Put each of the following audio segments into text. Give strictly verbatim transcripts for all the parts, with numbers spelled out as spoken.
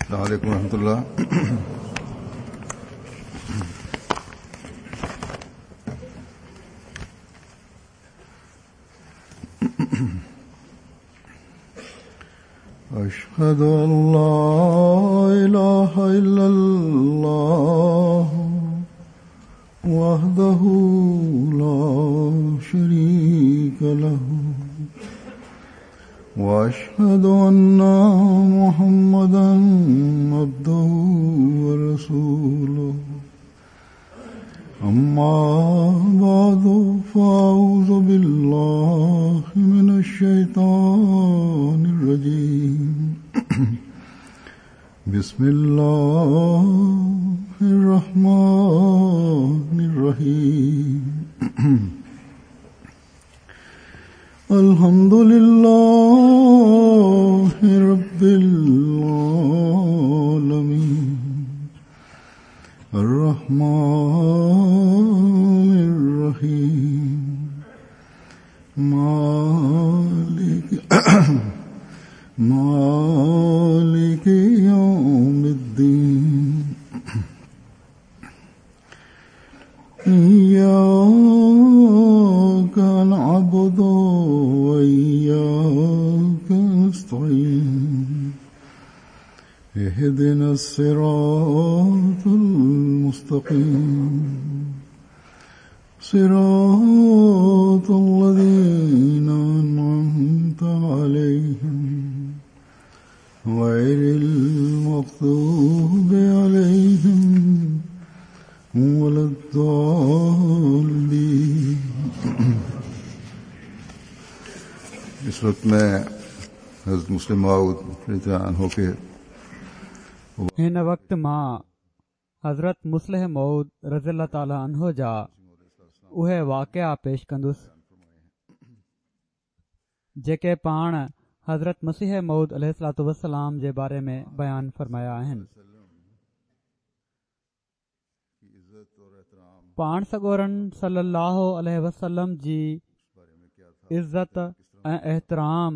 السلام عليڪم ورحمة الله. أشهد أن لا إله إلا الله وحده لا شريك له وأشهد أن محمدا عبده ورسوله. أما بعد فأعوذ بالله من الشيطان الرجيم. بسم الله الرحمن الرحيم. الحمد لله رب العالمين الرحمن الرحيم مالك مالك يوم الدين. إياك نعبد وإياك نستعين. اهدنا الصراط المستقيم صراط الذين أنعمت عليهم غير المغضوب عليهم ولا الضالين. اس وقت میں حضرت مسلم موعود رضی اللہ عنہ کے هن وقت مان حضرت مصلح موعود رضي الله تعالٰي عنه جا اهي واقعا پيش ڪندس جيڪي پاڻ حضرت مسيح موعود عليه الصلوة والسلام جي باري ۾ بيان فرمايا آهن. پاڻ سڳورن صلي الله عليه وسلم جي عزت ۽ احترام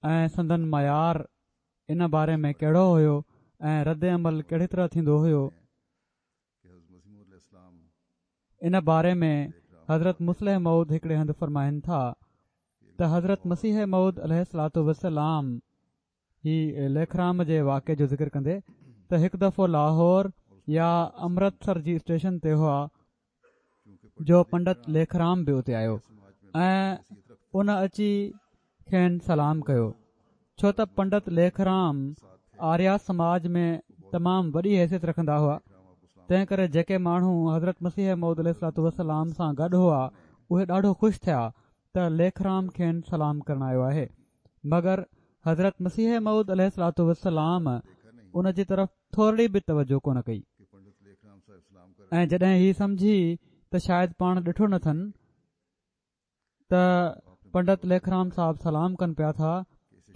۽ سندن معيار ان باري ۾ ڪهڙو هيو ۽ رد عمل ڪهڙي طرح ٿيندو هيو، ان باري ۾ حضرت مصلح موعود هڪڙي هنڌ فرمائن ٿا ته حضرت مسيح موعود عليه الصلوة والسلام هي ليکرام جي واقعي جو ذڪر ڪندي ته هڪ دفعو لاهور يا امرتسر جي اسٽيشن تي هئا جو پنڊت ليکرام به اتي آيو ۽ ان اچي کين سلام ڪيو. ڇو ته پنڊت ليکرام آريا سماج ۾ تمام وڏي حيثيت رکندا هئا، تنهن ڪري جيڪي ماڻهو حضرت مسيح موعود عليه الصلوة والسلام سان گڏ هئا اهي ڏاڍو خوش ٿيا ته ليکرام کين سلام ڪرڻ آيو آهي. مگر حضرت مسيح موعود عليه الصلوة والسلام ان جي طرف ٿورڙي به توجه ڪونه ڪئي ۽ جڏهن هي سمجهي ته شايد پاڻ ڏٺو نه اٿن ته پنڊت ليکرام صاحب سلام ڪن پيا ٿا،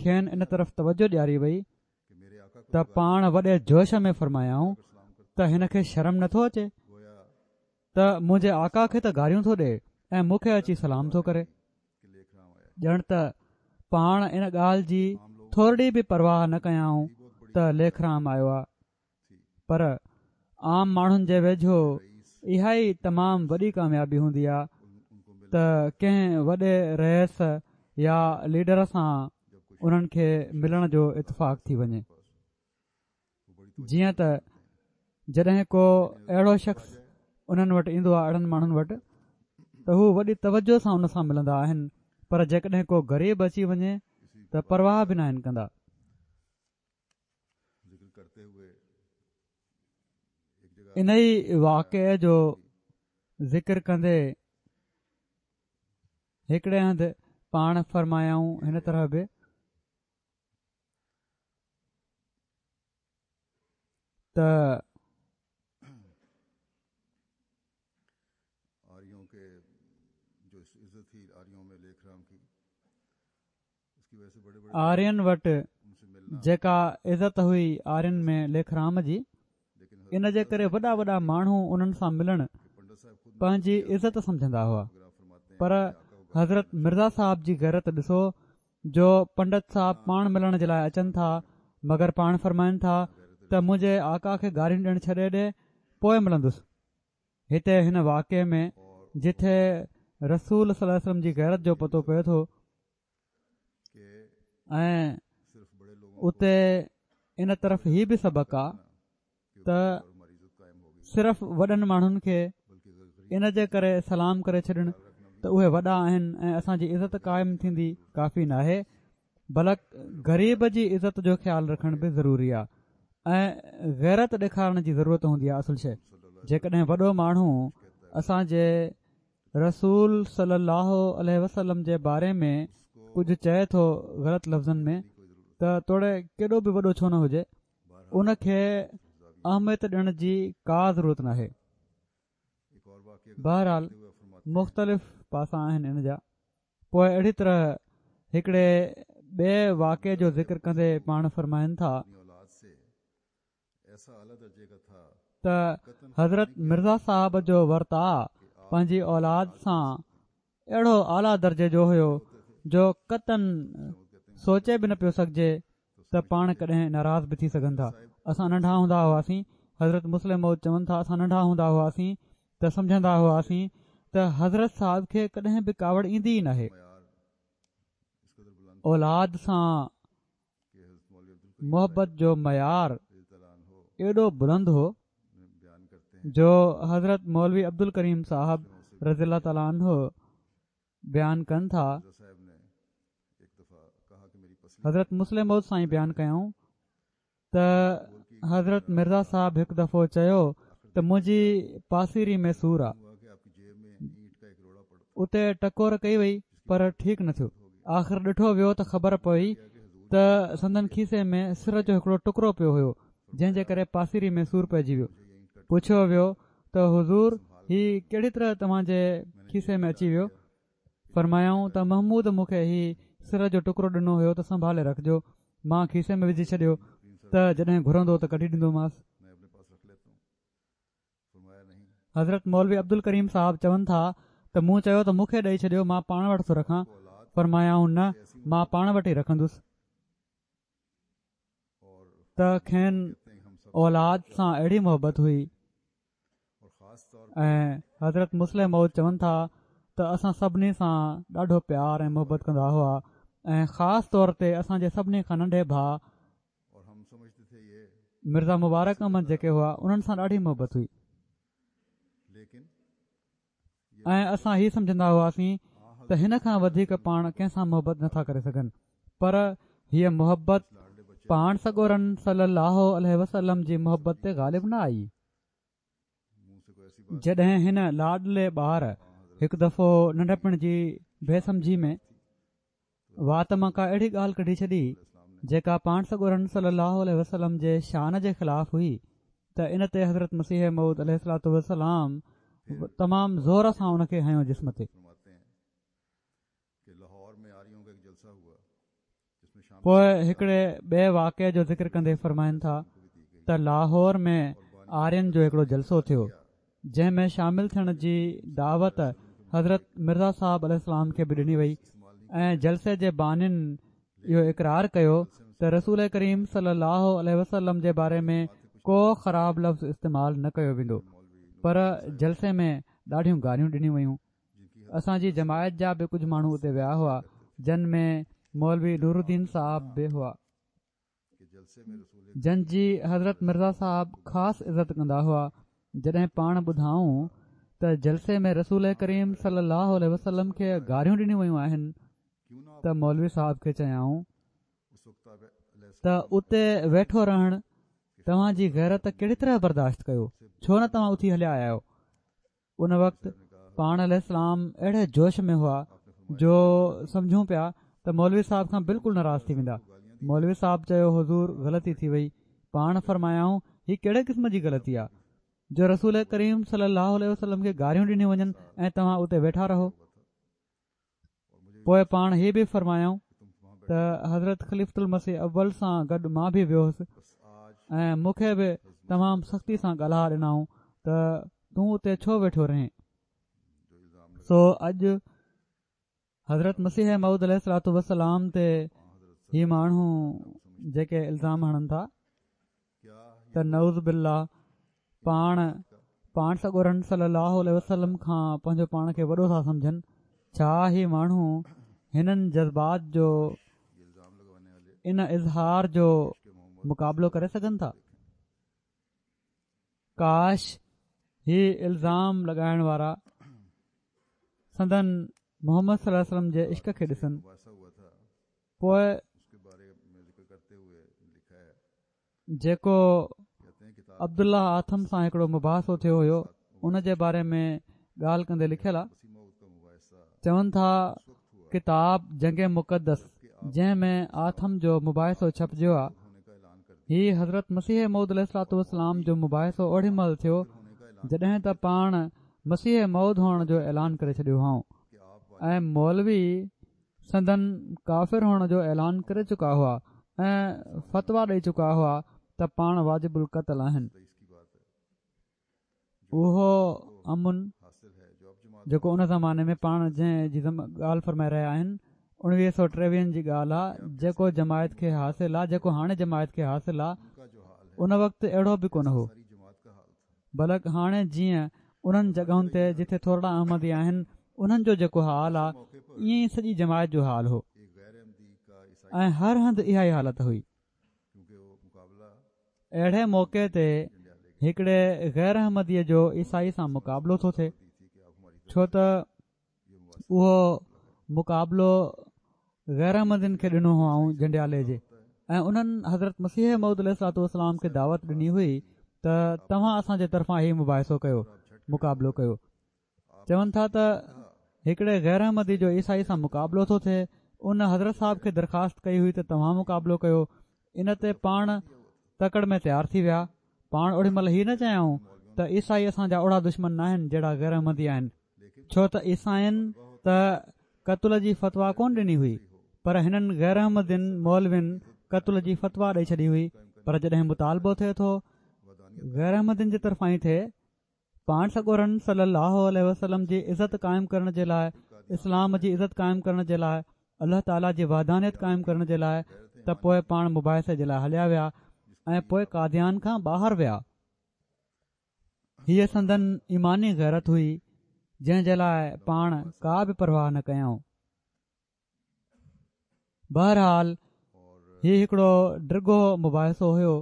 کين ان طرف توجه ڏياري وئي ته پاڻ وڏي جوش ۾ فرمايائون ته هن کي شرم نٿو اچي ته منهنجي آقا کي ته گاريون ٿو ڏئي ۽ مون کي اچي سلام ٿو ڪري. ڄڻ ته پاڻ ان ڳالهه جي ٿورڙي به پرواهه نه ڪيائون ته ليکرام آيو آ. پر عام ماڻهن جي ويجهو اها ئي تمام وڏي ڪاميابي هوندي آ ته ڪنهن وڏي رئيس يا ليڊر سان انهن کي ملڻ جو اتفاق ٿي وڃي. جيئن ته جڏهن ڪو اهڙو شخص انهن وٽ ايندو آهي، اهڙن ماڻهن وٽ، ته هو وڏي توجه سان ان سان ملندا آهن، پر جيڪڏهن ڪو غريب اچي وڃي ته پرواهه به ناهن ڪندا. ان ئي واقعي جو ذڪر ڪندي هڪڙي هنڌ پاڻ فرمايائون هن طرح به ته آرين وٽ جيڪا عزت هئي آرين ۾ ليکرام جي، ان جي ڪري وڏا وڏا ماڻهو انهن سان ملڻ پنهنجي عزت سمجهندا هئا. پر حضرت مرزا صاحب جي غيرت ڏسو جو پنڊت صاحب پاڻ ملڻ جي لاءِ اچن ٿا، مگر پاڻ فرمائن ٿا ته منهنجي آقا کي گاريون ڏيڻ ڇڏي ڏي، پوءِ ملندس. هتي هن واقعي ۾ جٿي رسول صلي الله عليه وسلم جي غيرت جو پتو پئي ٿو ۽ اتي ان طرف هي به سبق آ ته صرف وڏن ماڻهن کي ان جي ڪري سلام ڪري ڇڏڻ ته اهي وڏا آهن ۽ اسان جي عزت قائم ٿيندي ڪافي ناهي، بلڪ غريب جي عزت جو خيال رکڻ به ضروري آ ۽ غيرت ڏيکارڻ جي ضرورت هوندي آ. اصل شيءِ جيڪڏهن وڏو ماڻهو اسان جي رسول صلي الله عليه وسلم جي باري ۾ ڪجهه چئي ٿو غلط لفظن ۾ ته توڙي ڪيڏو به وڏو ڇو نه هجي، ان کي اهميت ڏيڻ جي ڪا ضرورت ناهي. بهرحال مختلف پاسا آهن ان جا. پوءِ اهڙي طرح هڪڙي ٻئي واقعي جو ذڪر ڪندي پاڻ فرمائن ٿا ته حضرت مرزا صاحب جو ورتاءُ پنهنجي اولاد سان اهڙو اعليٰ درجي جو هيو جو قطعاً سوچي به نه پيو سگهجي ته پاڻ ڪڏهن ناراض به ٿي سگهن ٿا. اسان ننڍا هوندا هئاسين، حضرت مصلح موعود چون ٿا، اسان ننڍا هوندا هئاسين ته سمجهندا هئاسين ته حضرت صاحب کي ڪڏهن به ڪاوڙ ايندي ئي ناهي. اولاد سان محبت جو معيار ايڏو بلند هو جو حضرت مولوي عبدالڪريم صاحب رضي الله تعالٰي عنه بيان ڪن ٿا، حضرت مصلح موعود سائين بيان ڪيائون ته حضرت مرزا صاحب هڪ دفعو چيو ته منهنجي پاسيري ۾ سور آ. اتي ٽڪور ڪئي وئي پر ٺيڪ نه ٿيو. آخر ڏٺو ويو ته خبر پئي ته سندن کيسي ۾ سر جو هڪڙو ٽڪرو پيو هيو، جنهن جي ڪري پاسيري ۾ سور پئجي ويو. پڇيو ويو ته حضور هي ڪهڙي طرح توهان جي کيسي ۾ اچي ويو؟ فرمايائون ته محمود مون کي هي سر جو ٽڪرو ڏنو هيو ته سنڀالي رکجو، مان کيسي ۾ وجهي ڇڏيو ته جڏهن گهرندو ته ڪڍي ڏيندومانس. حضرت مولوي عبدالڪريم صاحب چون ٿا ته مون چيو ته مون کي ڏيئي ڇڏيو، مان پاڻ وٽ ٿو رکان. فرمايائون نه، مان پاڻ وٽ ئي رکندس. ته کين اولاد سان اهڙي محبت هئي. ۽ حضرت مصلح موعود چون ٿا ته اسان سڀني سان ڏاڍو پيار ۽ محبت ڪندا هئا ۽ خاص طور تي اسان جي سڀني کان ننڍي ڀاءُ مرزا مبارڪ احمد جيڪي هئا انهن سان ڏاڍي محبت هئي ۽ اسان هي سمجهندا هئاسين ته هن کان وڌيڪ پاڻ ڪنهن سان محبت نٿا ڪري سگهن، پر هيءَ محبت پاڻ سڳورن صلي الله عليه وسلم جي محبت تي غالب نه آئي. جڏهن هن لاڏلي ٻار هڪ دفعو ننڍپڻ جي بي سمجهي ۾ وات مان ڪا اهڙي ڳالهه ڪڍي ڇڏي جيڪا پاڻ سڳورن صلي الله عليه وسلم جي شان جي خلاف هئي ته ان تي حضرت مسيح موعود عليه الصلوة والسلام تمام زور سان ان کي هنيو جسم تي. پوءِ هڪڙي ٻئي واقعي جو ذڪر ڪندي فرمائن ٿا ته لاهور ۾ آرين جو هڪڙو جلسو ٿيو جنهن ۾ شامل ٿيڻ جي دعوت حضرت مرزا صاحب عليه السلام کي به ڏني وئي ۽ جلسي جي بانين اهو اقرار ڪيو ته رسول ڪريم صلي الله عليه وسلم جي باري ۾ ڪو خراب لفظ استعمال نه ڪيو ويندو، پر جلسي ۾ ڏاڍيون گاريون ڏنيون ويون. اسان جي جماعت جا به ڪجهه ماڻهو اتي ويا هئا، جن ۾ مولوي نورالدين صاحب به هئا، جن جي حضرت مرزا صاحب خاص عزت ڪندا هئا. جڏهن پاڻ ٻڌائون ته جلسي ۾ رسول ڪريم صلي الله عليه وسلم کي گاريون ڏنيون ويون آهن ته مولوي صاحب کي چيائون ته اتي ويٺو رهڻ توهان جي غيرت ڪهڙي طرح برداشت ڪيو، ڇو نه توهان اٿي هليا آيا آهيو؟ ان وقت پاڻ عليه السلام اهڙي جوش ۾ هئا جو سمجهون پيا ته مولوي صاحب کان بلڪل ناراض ٿي ويندا. مولوي صاحب چيو حضور غلطي ٿي وئي. پاڻ فرمايائون هي ڪهڙي قسم جي غلطي آهي جو رسول ڪريم صلي الله عليه وسلم کي گاريون ڏنيون وڃن ۽ توهان اتي ويٺا رهو. پوءِ پاڻ هي به فرمايائون ته حضرت خليفة المسيح اول سان گڏ مان به ويو هوس ۽ مون کي به تمام سختي سان ڳالها ڏنائون ته تون اتي ڇو ويٺو رهين. سو اڄ حضرت مسيح موعود عليه الصلوة والسلام تي هي ماڻهو جيڪي الزام هڻن ٿا ته نعوذ بالله پاڻ پاڻ سڳورن صلي الله عليه وسلم کان پنهنجو پاڻ کي وڏو ٿا سمجهن، ڇا هي ماڻهو هنن جذبات جو ان اظهار جو مقابلو ڪري سگهن ٿا؟ ڪاش هي الزام لڳائڻ وارا سندن محمد صلي الله عليه وسلم جي عشق کي ڏسن. پوءِ جيڪو عبدالله آٿم سان هڪڙو مباحثو ٿيو هيو ان جي باري ۾ ڳالهه ڪندي لکيل آهي، چون ٿا ڪتاب جنگ مقدس جنهن ۾ آٿم جو مباحثو ڇپجيو آهي، هي حضرت مسيح موعود عليه الصلوة والسلام جو مباحثو اوڏي مهل ٿيو جڏهن ته پاڻ مسيح موعود هئڻ جو اعلان ڪري ڇڏيو هئائون ۽ مولوي سندن ڪافر هئڻ جو اعلان ڪري چڪا هئا ۽ فتويٰ ڏئي چڪا هئا ته پاڻ واجب القتل آهن. اهو امن جيڪو ان زماني ۾ پاڻ جنهن جي ڳالهه فرمائي رهيا آهن اڻويهه سؤ ٽيويهن جي ڳالهه آهي، جيڪو جماعت کي حاصل آهي، جيڪو هاڻي جماعت کي حاصل آهي ان وقت اهڙو به ڪونه هو، بلڪ هاڻي جيئن انهن جڳهن تي جتي ٿورڙا احمدي آهن انهن جو جيڪو حال آهي ائين ئي سڄي جماعت جو حال هو ۽ هر هنڌ اها ئي حالت هئي. اهڙي موقعي تي هڪڙي غير احمديء جو عيسائي سان مقابلو ٿو ٿئي، ڇو ته اهو مقابلو غير احمدين کي ڏنو هئائون جنڊيالي جي، ۽ انهن حضرت مسيح موعود عليه الصلوة والسلام کي دعوت ڏني هئي ته توهان اسان جي طرفان هي مباحثو ڪيو، مقابلو ڪيو. چون ٿا ته هڪڙي غير احمدي جو عيسائي سان مقابلو ٿو ٿئي، ان حضرت صاحب کي درخواست ڪئي هئي ته توهان مقابلو ڪيو، ان تي پاڻ تڪڙ ۾ تيار ٿي ويا. پاڻ اوڏي مهل هي نه چيائون ته عيسائي اسان جا اوڙا دشمن ناهن جهڙا غير احمدي آهن، ڇو ته عيسائين ته قتل جي فتويٰ ڪونه ڏني هئي، پر هنن غير احمدين مولوين قتل جي فتويٰ ڏئي ڇڏي هئي. پر جڏهن مطالبو ٿئي ٿو غير احمدين جي طرفان ئي ٿئي، پاڻ سڳورن صلي الله عليه وسلم جي عزت قائم ڪرڻ جي لاءِ، اسلام جي عزت قائم ڪرڻ جي لاءِ، الله تعاليٰ جي وحدانيت قائم ڪرڻ جي لاءِ، ته پوءِ پاڻ مباحثي جي لاءِ هليا ويا ۽ پوءِ قاديان کان ٻاهر ويا. هيءَ سندن ايماني غيرت هئي جنهن جي لاءِ پاڻ ڪا به پرواهه نه ڪيائون. بهرحال هي هڪڙو ڊگهو مباحثو هيو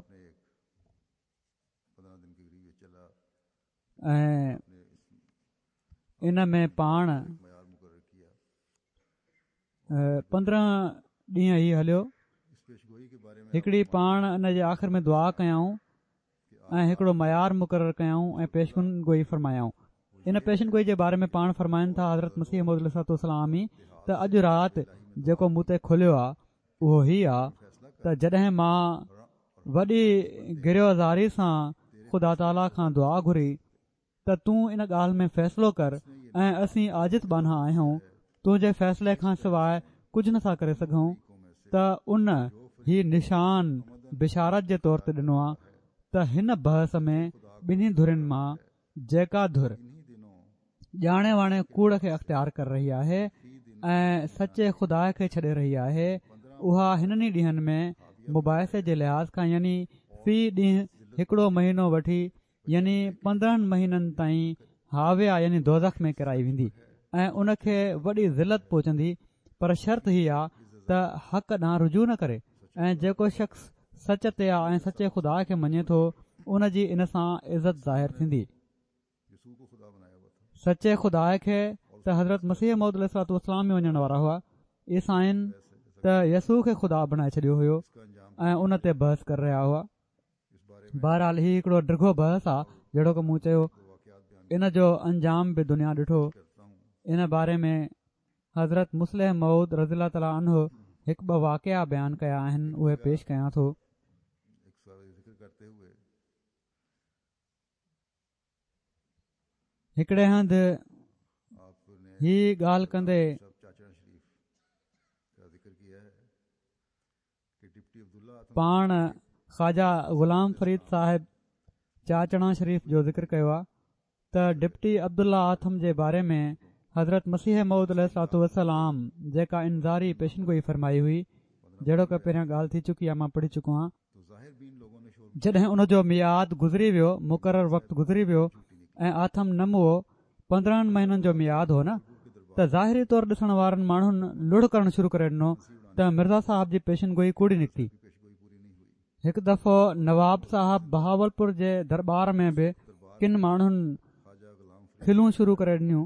۽ ان ۾ پاڻ پندرهن ڏينهن ئي هليو. هڪڙي پاڻ ان جي آخر ۾ دعا ڪيائون ۽ هڪڙو معيار مقرر ڪيائون ۽ پيشن گوئي فرمايائون. ان پيشن گوئي جي باري ۾ پاڻ فرمائن ٿا حضرت مسيح موعود عليه الصلوة والسلام ئي ته اڄ رات جيڪو مون تي کليو آهي اهو هي آهي ته جڏهن مان وڏي گريه و زاري سان خدا تعاليٰ کان دعا گهري ته تون ان ڳالهه ۾ فيصلو ڪر ۽ اسين عاجز ٻانها آهيون، تنهنجي فيصلي کان سواءِ ڪجهه نٿا ڪري سگهون، ته ان هي نشان بشارت جي طور تي ڏنو آهي ته هن بحث ۾ ٻنهي ڌرين مان جيڪا ڌر ڄاڻي واڻي ڪوڙ کي اختيار ڪري رهي آهي ۽ سچي خدا کي ڇڏي رهي آهي، اها هنن ئي ڏينهن ۾ مباحثي جي لحاظ کان يعني في ڏينهن هڪڙو مهينو وٺي يعني پندرهن مهينن تائين هاويه يعني دوزخ ۾ ڪرائي ويندي ۽ ان کي وڏي ذلت پهچندي، پر شرط هي آهي ته حق ڏانهن رجوع نه ڪري ۽ جيڪو شخص سچ تي آهي ۽ سچي خدا کي مڃي ٿو ان جي ان سان عزت ظاهر ٿيندي. سچي خدا کي ته حضرت مسيح موعود عليه الصلوة والسلام ئي مڃڻ وارا هئا، عيسائين ته يسوع کي خدا بڻائي ڇڏيو هيو ۽ ان تي بحث ڪري رهيا هئا. بهرحال هي هڪڙو ڊگهو بحث آهي، جهڙوڪ مون چيو ان جو انجام به دنيا ڏٺو. ان باري ۾ حضرت مصلح موعود رضي الله تعاليٰ عنه هڪ ٻه واقعا بيان ڪيا آهن، اهي پيش ڪيان ٿو. هڪڙي هنڌ هي ڳالهه ڪندي پاڻ خواجه غلام فريد صاحب چاچڙان شريف جو ذڪر ڪيو آهي ته ڊپٽي عبدالله آٿم جي باري ۾ حضرت مسيح موعود عليه الصلوة والسلام جيڪا انذاري پيشن گوئي فرمائي هئي جهڙوڪ پهريان ڳالهه ٿي چڪي آهي، مان پڙهي چڪو آهيان. جڏهن ان جو ميعاد گذري ويو، مقرر وقت گذري ويو ۽ آٿم نه مئو، پندرهن مهينن جو ميعاد هو نه، ته ظاهري طور ڏسڻ وارن ماڻهن لڙ ڪرڻ شروع ڪري ڏنو ته مرزا صاحب جي پيشن گوئي ڪوڙي نڪتي. هڪ دفعو نواب صاحب بهاولپور جي درٻار ۾ به ڪن ماڻهن کلون شروع ڪري ڏنيون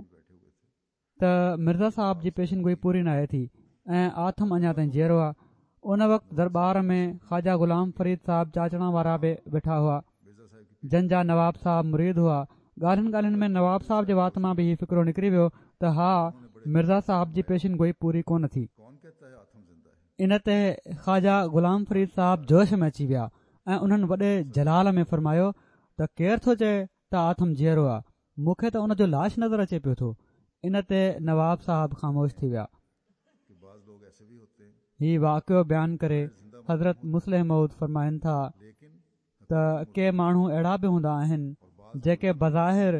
ته مرزا صاحب جي پيشن گوئي پوري ناهي ٿي ۽ آٿم اڃا تائين جيئرو آهي. ان وقت درٻار ۾ خواجه غلام فريد صاحب چاچڙان وارا به ويٺا هئا، جن جا نواب صاحب مريد هئا. ڳالهين ڳالهين ۾ نواب صاحب جي وات مان به هي فقرو نڪري ويو ته ها، مرزا صاحب جي پيشن گوئي پوري ڪونه ٿي. ان تي خواجه غلام فريد صاحب جوش ۾ اچي ويا ۽ انهن وڏي جلال ۾ فرمايو ته ڪير ٿو چئي ته آٿم جيئرو آهي، مون کي ته ان جو لاش نظر اچي پيو ٿو. ان تي نواب صاحب خاموش ٿي ويا. هي واقعو بيان ڪري حضرت مصلح موعود فرمائن ٿا ته ڪي ماڻهو اهڙا به هوندا آهن جيڪي بظاهر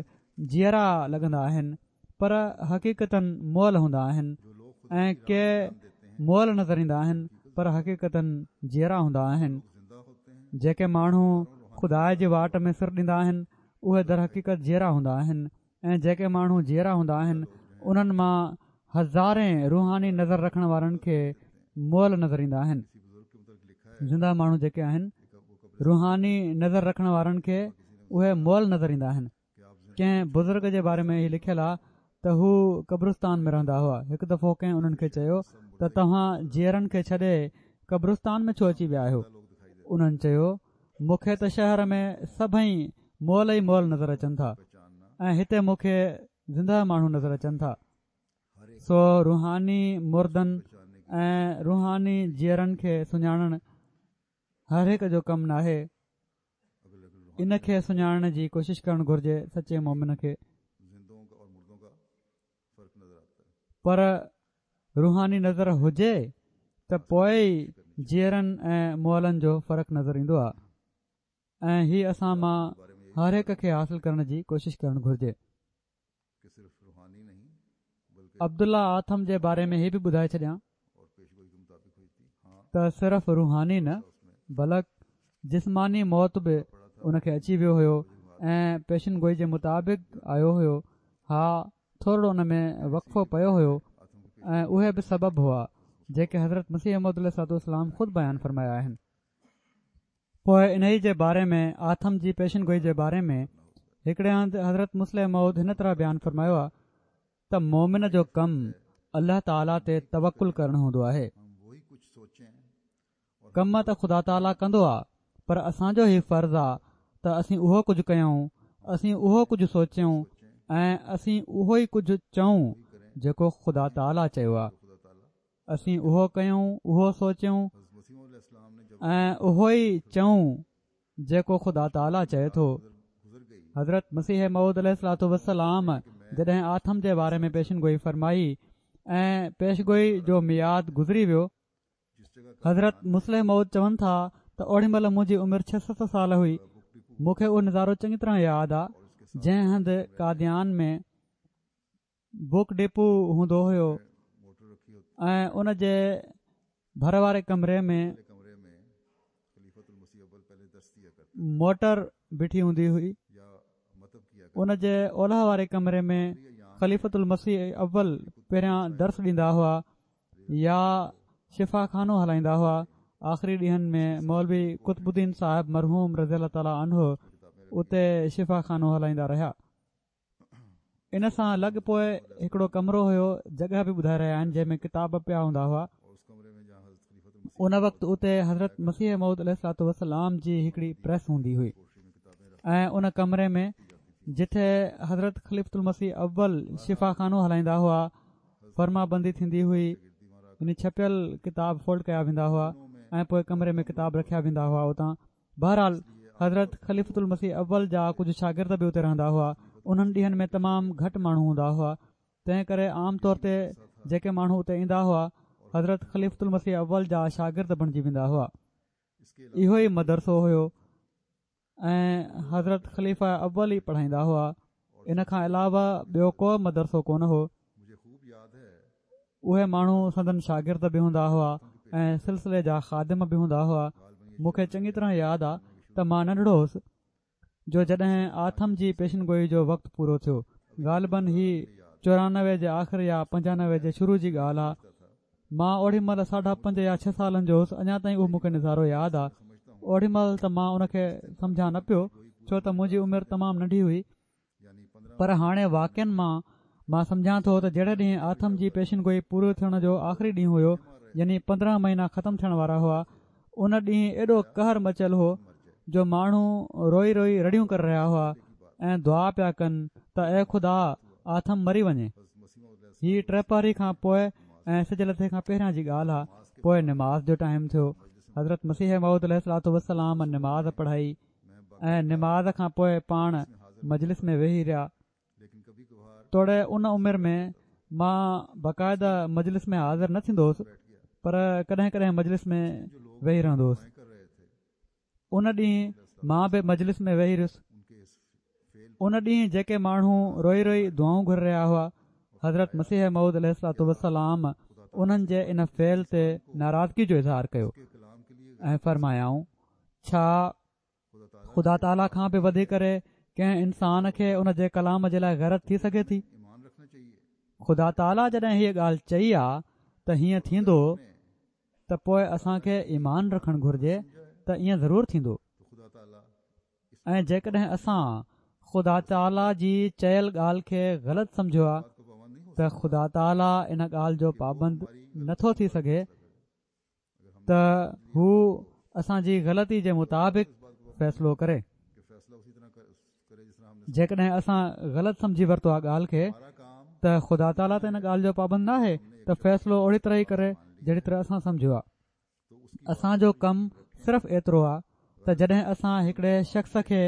جيئرا لڳندا آهن پر حقيقتن مئل هوندا آهن، ۽ ڪي مئل نظر ايندا آهن پر حقيقتن جيئرا هوندا آهن. جيڪي ماڻهو خدا جي واٽ ۾ سر ڏيندا آهن اهي درحقيقت جيئرا هوندا آهن، ۽ جيڪي ماڻهو جيئرا هوندا آهن انهن مان هزارين روحاني نظر رکڻ وارن کي مئل نظر ايندا آهن. زنده ماڻهو جيڪي آهن روحاني نظر رکڻ وارن کي اهي مئل نظر ايندا آهن. ڪنهن بزرگ جي باري ۾ هي لکيل آهي ته هو قبرستان ۾ رهندا هئا. هڪ دفعو ڪنهن انهن کي چيو ته توهان جيئرن کي ڇڏي قبرستان ۾ ڇو اچي ويا آهيو؟ انهن چيو مون کي ته شهر ۾ سڀئي مئل ئي مئل نظر اچن ٿا ۽ هتي مون کي زنده ماڻهو نظر اچن ٿا. سو روحاني مردن ۽ روحاني جيئرن کي سڃاڻڻ هر هڪ جو ڪم ناهي. ان کي سڃاڻڻ جي ڪوشش ڪرڻ گهرجي سچي مومن کي. پر روحاني نظر هجي ته پوءِ ئي جيئرن ۽ مئلن جو فرق نظر ايندو آهي، ۽ هي اسان مان هر هڪ کي حاصل ڪرڻ جي ڪوشش ڪرڻ گهرجي. عبدالله آٿم جي باري ۾ هي به ٻڌائي ڇڏيان ته صرف روحاني نه بلڪ جسماني موت به ان کي اچي ويو هيو ۽ پيشن گوئي جي مطابق آيو هيو. ها، ٿورڙو ان ۾ وقفو پيو هيو، ۽ اهي به سبب هئا جيڪي حضرت مسيح موعود عليه الصلوة والسلام خود بيان فرمايا آهن. پوءِ انهي جي باري ۾ آٿم جي پيشن گوئي جي باري ۾ هڪڙي هنڌ حضرت مصلح موعود هن طرح بيان فرمايو آهي ته مومن جو ڪم الله تعاليٰ تي توڪل ڪرڻ هوندو آهي. ڪم ته خدا تعاليٰ ڪندو آهي، پر اسان جو هي فرض آهي ته اسين اهو ڪجهه ڪيون، اسين اهو ڪجهه سوچيون ۽ اسين اهو ئي ڪجهه چئون جيڪو خدا تعاليٰ چيو آهي. اسين اهو ڪيون، اهو سوچيون ۽ اهو ئي چئون جيڪو خدا تعاليٰ چئي ٿو. حضرت مسيح موعود عليه الصلوة والسلام جڏهن آٿم جي باري ۾ پيشن گوئي فرمائي ۽ پيشگوئي جو ميعاد گذري ويو، حضرت مصلح موعود چون ٿا ته اوڏي مهل منهنجي عمر ڇهه ست سال هئي. مون کي اهو نظارو چڱي طرح ياد آ جنهن هنڌ قاديان ۾ بڪ ڊپو هوندو هيو ۽ ان جي ڀر واري ڪمري ۾ موٽر بيٺي هوندي هئي. ان جي اولهه واري ڪمري ۾ خليفة المسيح اول پهريان درس ڏيندا هئا يا شفا خانو هلائيندا هئا. آخري ڏينهن ۾ مولوي قطب الدين صاحب مرحوم رضي الله تعاليٰ عنه اتي شفا خانو هلائيندا رهيا. ان سان لڳ پوءِ هڪڙو ڪمرو هيو، جڳهه به ٻڌائي رهيا آهن، جنهن ۾ ڪتاب پيا هوندا هئا. ان وقت اتي حضرت مسيح موعود عليه الصلوة والسلام جي هڪڙي پريس هوندي هئي ۽ ان ڪمري ۾ جتي حضرت خليفة المسيح اول شفا خانو هلائيندا هئا فرما بندي ٿيندي هئي، يعني ڇپيل ڪتاب فولڊ ڪيا ويندا هئا ۽ پوءِ ڪمري ۾ ڪتاب رکيا ويندا هئا اتان. بهرحال حضرت خليفة المسيح اول جا ڪجهه شاگرد به اتي رهندا هئا. انهن ڏينهن ۾ تمام گهٽ ماڻهو هوندا هئا، تنهن ڪري عام طور تي جيڪي ماڻهو اتي ايندا هئا حضرت خليفة المسيح اول جا شاگرد بڻجي ويندا هئا. اهو ئي مدرسو هيو ۽ حضرت خليفه اول ئي پڙهائيندا هئا. ان کان علاوه ٻيو ڪو مدرسو ڪونه هو. اهي ماڻهو سندن شاگرد به هوندا هئا. ۽ سلسلي جا خادم به هوندا هئا. مون کي چڱي طرح ياد آ ته مان ننڍڙو هوس جو جڏهن آٿم جي پيشن گوئي جو وقت پورو ٿيو، غالباً هي چورانوي جي آخر يا پنجانوي جي شروع جي ڳالهه آ. مان اوڏي مهل ساڍا پنج يا ڇهه سالن جو هوس. اڃا تائين اهو مون کي نظارو ياد آ. اوڏي مهل ته مان ان کي سمجهان نه پيو، ڇو ته منهنجي عمر تمام ننڍي هئي، پر هاڻي واقعن مان مان سمجهان ٿو ته جهڙي ڏينهن آٿم جي پيشن گوئي پوري ٿيڻ جو آخري ڏينهن هيو، يعني پندرهن مهينا ختم ٿيڻ وارا هئا، ان ڏينهن ايڏو قهر مچيل هو جو ماڻهو روئي روئي رڙيون ڪري رهيا هئا ۽ دعا پيا ڪن ته اي خدا آٿم مري وڃي. هي ٽپهري کان پوءِ ۽ سج لٿي کان پهريان جي ڳالهه آ. پوءِ نماز جو ٽائيم ٿيو. حضرت مسيح موعود عليه الصلوة والسلام نماز پڙهائي ۽ نماز کان پوءِ پاڻ مجلس ۾ ويهي رهيا. توڙي ان عمر ۾ مان باقاعده مجلس ۾ حاضر نه ٿيندو هوس، پر ڪڏهن ڪڏهن مجلس ۾ ويهي رهندو هوس. ان ڏينهن مان به مجلس ۾ ويهي رهيس. ان ڏينهن جيڪي ماڻهو روئي روئي دعائون گهري رهيا هئا، حضرت مسيح موعود عليه الصلوة والسلام انهن جي ان فعل تي ناراضگي جو اظهار ڪيو ۽ فرمايائون، ڇا خدا تعاليٰ کان به وڌي ڪري ڪنهن انسان کي ان جي ڪلام جي لاءِ غيرت ٿي سگهي ٿي؟ خدا تعاليٰ جڏهن هيءَ ڳالهه چئي آ ته هيئن ٿيندو ته پوءِ اسان کي ايمان رکڻ گهرجي ته ائين ضرور ٿيندو. ۽ جيڪڏهن اسان خدا تعاليٰ جي چيل ڳالهه کي غلط سمجهيو آ ته خدا تعاليٰ ان ڳالهه جو پابند نٿو ٿي سگهي ته هو اسان جي غلطي جي مطابق فيصلو ڪري. جيڪڏهن اسان غلط سمجهي ورتو آ ڳالهه کي ته خدا تعاليٰ ته ان ڳالهه جو پابند نه آهي ته فيصلو اوڙي طرح ئي ڪري جهڙي طرح اسان سمجهيو آ. اسان جو ڪم صرف ايترو آ ته جڏهن اسان هڪڙي شخص کي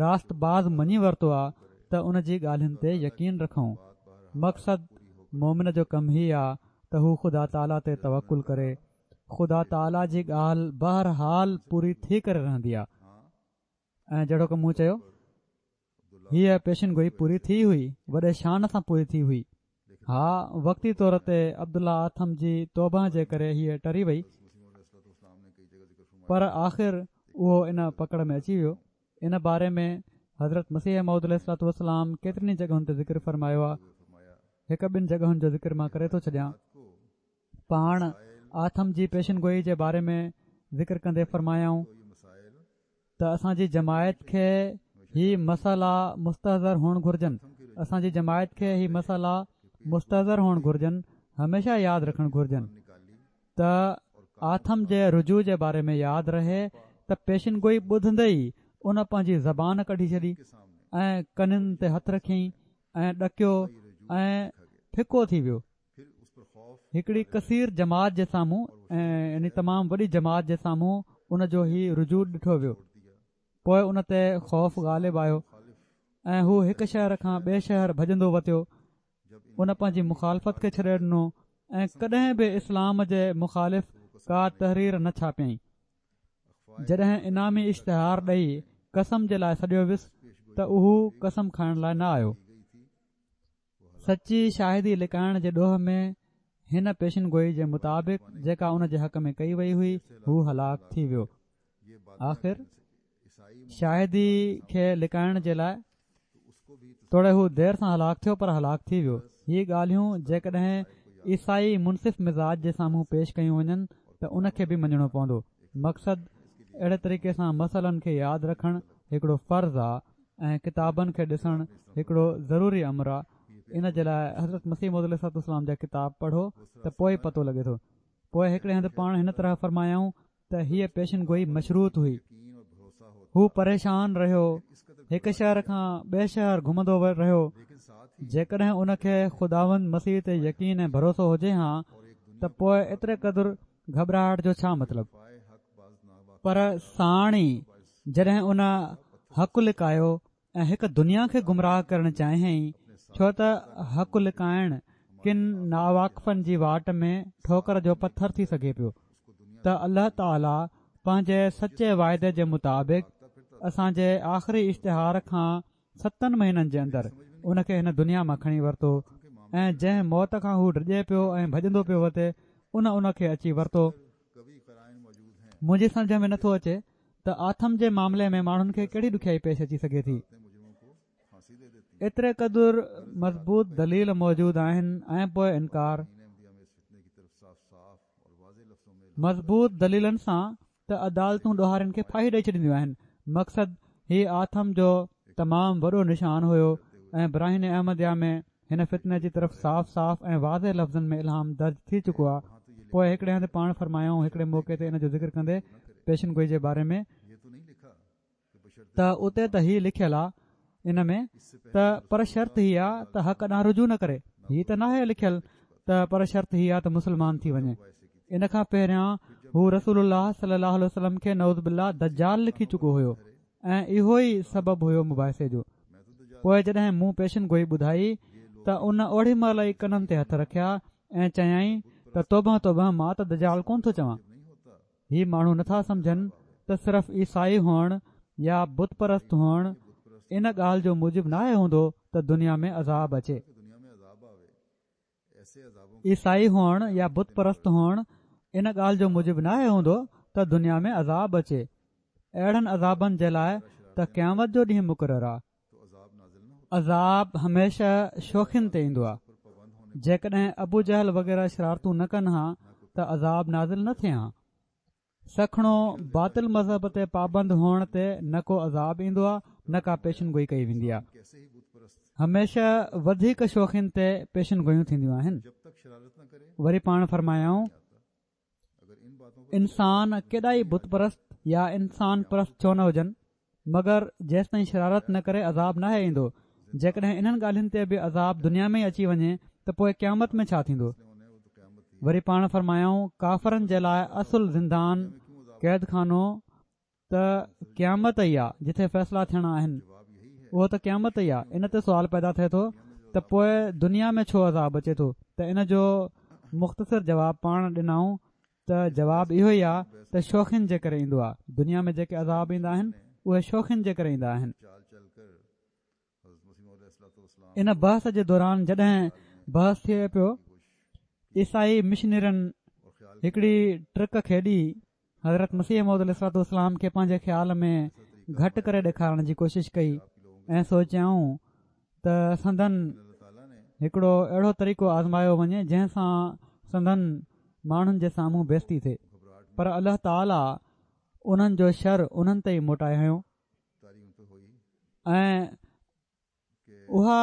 راست باز مڃي ورتو آ ته ان جي ڳالهين تي يقين رکون. مقصد مومن جو ڪم هي آ ته هو خدا تعاليٰ تي توڪل ڪري. خدا تعاليٰ جي ڳالهه بهرحال پوري ٿي ڪري رهندي آ. ۽ جهڙوڪ مون چيو، هيءَ پيشن گوئي پوري ٿي هئي، وڏي شان سان پوري ٿي هئي. ها، وقتي طور تي عبدالله آٿم جي توبه جي ڪري هيءَ ٽري وئي، پر آخر اهو ان پڪڙ ۾ اچي ويو. ان باري ۾ حضرت مسيح موعود عليه الصلوة والسلام ڪيترين ئي جڳهن تي ذڪر فرمايو آ. هڪ ٻن جڳهن جو ذڪر مان ڪري ٿو ڇڏيان. پاڻ آٿم جي پيشن گوئي جي باري ۾ ذڪر ڪندي فرمايائون ته اسان جي جماعت کي هي مسئلا مستحضر هئڻ گهرجن. اسان جي جماعت کي هي مسئلا مستحضر هئڻ گهرجن، هميشه ياد رکڻ گهرجن ته آٿم جي رجوع جي باري ۾ ياد رهي ته پيشن گوئي ٻڌندي ئي ان پنهنجي زبان ڪڍي ڇڏي ۽ ڪنن تي هٿ رکيائين ۽ ڏڪيو ۽ ڦڪو ٿي ويو. هڪڙي ڪثير جماعت جي سامهون ۽ يعني تمام وڏي جماعت جي سامهون ان جو هي رجوع ڏٺو ويو. پوءِ ان تي خوف غالب آيو ۽ هو هڪ شهر کان ٻئي شهر ڀڄندو وتيو. ان پنهنجي مخالفت کي ڇڏي ڏنو ۽ ڪڏهن به اسلام جي مخالف ڪا تحرير نه ڇاپيائين. جڏهن انعامي اشتهار ڏئي قسم جي لاءِ سڏيو ويس ته اهو قسم کائڻ لاءِ نه آيو. سچي شاهدي لڪائڻ جي ڏوهه ۾ هن پيشن گوئي جي مطابق جيڪا ان جي حق ۾ ڪئي وئي هئي، هو هلاڪ ٿي ويو. آخر شاهدي کي لڪائڻ جي لاءِ توڙي هو دير سان هلاڪ ٿيو، پر هلاڪ ٿي ويو. هي ڳالهيون جيڪڏهن عيسائي منصف مزاج جي سامهون پيش ڪيون وڃن ته ان کي به مڃڻو پوندو. مقصد اهڙي طريقي سان مسئلن کي ياد رکڻ هڪڙو فرض آ ۽ ڪتابن کي ڏسڻ هڪڙو ضروري امر آ. ان جي لاءِ حضرت مسيح موعود عليه الصلوة والسلام جا ڪتاب پڙهو ته پوءِ پتو لڳي ٿو. پوءِ هڪڙي هنڌ پاڻ هن طرح فرمايائون ته هيءَ پيشن گوئي مشروط هئي. هو پريشان رهيو، هڪ شهر کان ٻئي شهر گهمندو رهيو. جيڪڏهن ان کي خداوند مسيح تي يقين ۽ ڀروسو هجي ها ته پوءِ ايتري قدر گهٻراهٽ جو ڇا مطلب؟ پر ساڻ ئي جڏهن ان حق لڪايو ۽ هڪ دنيا کي گمراهه ڪرڻ چاهيائين، ڇو ته حق لڪائڻ ڪن ناواقفن جي واٽ ۾ ٺوڪر جو پٿر ٿي سگهي پيو، ته الله تعاليٰ پنهنجي سچي واعدي جي مطابق اسان جي آخري اشتهار کان ستن مهينن جي اندر ان کي هن دنيا مان کڻي ورتو ۽ جنهن موت کان هو ڊڄي پيو ۽ ڀڄندو پيو وتي، ان ان کي اچي ورتو. منهنجي سمجهه ۾ نٿو اچي ته آٿم جي معاملي ۾ ماڻهن کي ڪهڙي ڏکيائي پيش اچي سگهي ٿي. ايتري قدر مضبوط دليل موجود آهن ۽ پوءِ انڪار. مضبوط دليلن سان ته عدالتون ڏوهارين کي ڦاهي ڏئي ڇڏينديون آهن. مقصد هي آٿم جو تمام وڏو نشان هيو ۽ براهين احمديه ۾ هن فتني جي طرف صاف صاف ۽ واضح لفظن ۾ الهام درج ٿي چڪو آهي. پوءِ هڪڙي هنڌ پاڻ فرمايائون هڪڙي موقعي تي ان جو ذڪر ڪندي پيشن گوئي جي باري ۾ ته اتي ته هي لکيل آهي ان ۾ ته پر شرط هي آهي ته حق ڏانهن رجوع نه ڪري. هي ته ناهي لکيل ته پر شرط هي آهي ته مسلمان ٿي وڃي. ان کان پهريان هو رسول الله صلي الله عليه وسلم کي نعوذ بالله دجال لکي چڪو هيو ۽ اهو ئي سبب هيو مباحثي جو. پوءِ جڏهن مون پيشن گوئي ٻڌائي ته ان اوڙي مهل ئي ڪنن تي هٿ رکيا ۽ چيائين ته توبه توبه، مان ته دجال ڪونه ٿو چوان. هي ماڻهو نٿا سمجهن ته صرف عيسائي هئڻ يا بت پرست هئڻ ان ڳالهه جو موجب ناهي هوندو ته دنيا ۾ عذاب اچي. عيسائي هئڻ يا بت پرست هئڻ ان ڳالهه جو موجب ناهي هوندو ته دنيا ۾ عذاب اچي. اهڙن عذابن جي لاءِ ته قيامت جو ڏينهن مقرر آهي. عذاب هميشه شوخين تي ايندو آهي. جيڪڏهن ابو جهل وغيره شرارتون نه ڪن ها ته عذاب نازل نه ٿئي ها. سکڻو باطل مذهب تي پابند هئڻ تي نه ڪو عذاب ايندو آهي نه ڪا پيشن گوئي ڪئي ويندي آهي. هميشه وڌيڪ شوخين تي پيشن گوئيون ٿينديون آهن. وري پاڻ فرمايائون انسان ڪيڏا ئي بت پرست يا انسان پرست ڇو نه هجن، مگر جيستائين شرارت نه ڪري عذاب ناهي ايندو. جيڪڏهن انهن ڳالهين تي به عذاب دنيا ۾ ئي اچي وڃي ته پوءِ قيامت ۾ ڇا ٿيندو؟ وري پاڻ فرمايائون ڪافرن جي لاءِ اصل زندان قيد خانو ته قيامت ئي آهي، جتي فيصلا ٿيڻا آهن اهو ته قيامت ئي آهي. ان تي سوال پيدا ٿئي ٿو ته پوءِ دنيا ۾ ڇو عذاب اچي ٿو؟ ته ان جو مختصر جواب پاڻ ڏنائون ته جواب اهو ئي آهي ته شوخين جي ڪري ايندو آهي. دنيا ۾ جيڪي عذاب ايندا آهن اهي شوخين جي ڪري ايندا آهن. ان بحث جي دوران جڏهن بحث ٿئي پيو، عيسائي مشنرين هڪڙي ٽرڪ کيڏي حضرت مسيح موعود عليه الصلوة والسلام کي پنهنجي خيال ۾ گهٽ ڪري ڏيکارڻ جي ڪوشش ڪئي ۽ سوچيائون ته سندن هڪڙو اهڙو طريقو آزمايو وڃي جنهن سان سندن ماڻهن جي سامهون بيستي ٿئي، پر الله تعاليٰ انهن جو شر انهن تي ئي موٽائي هنيو ۽ اها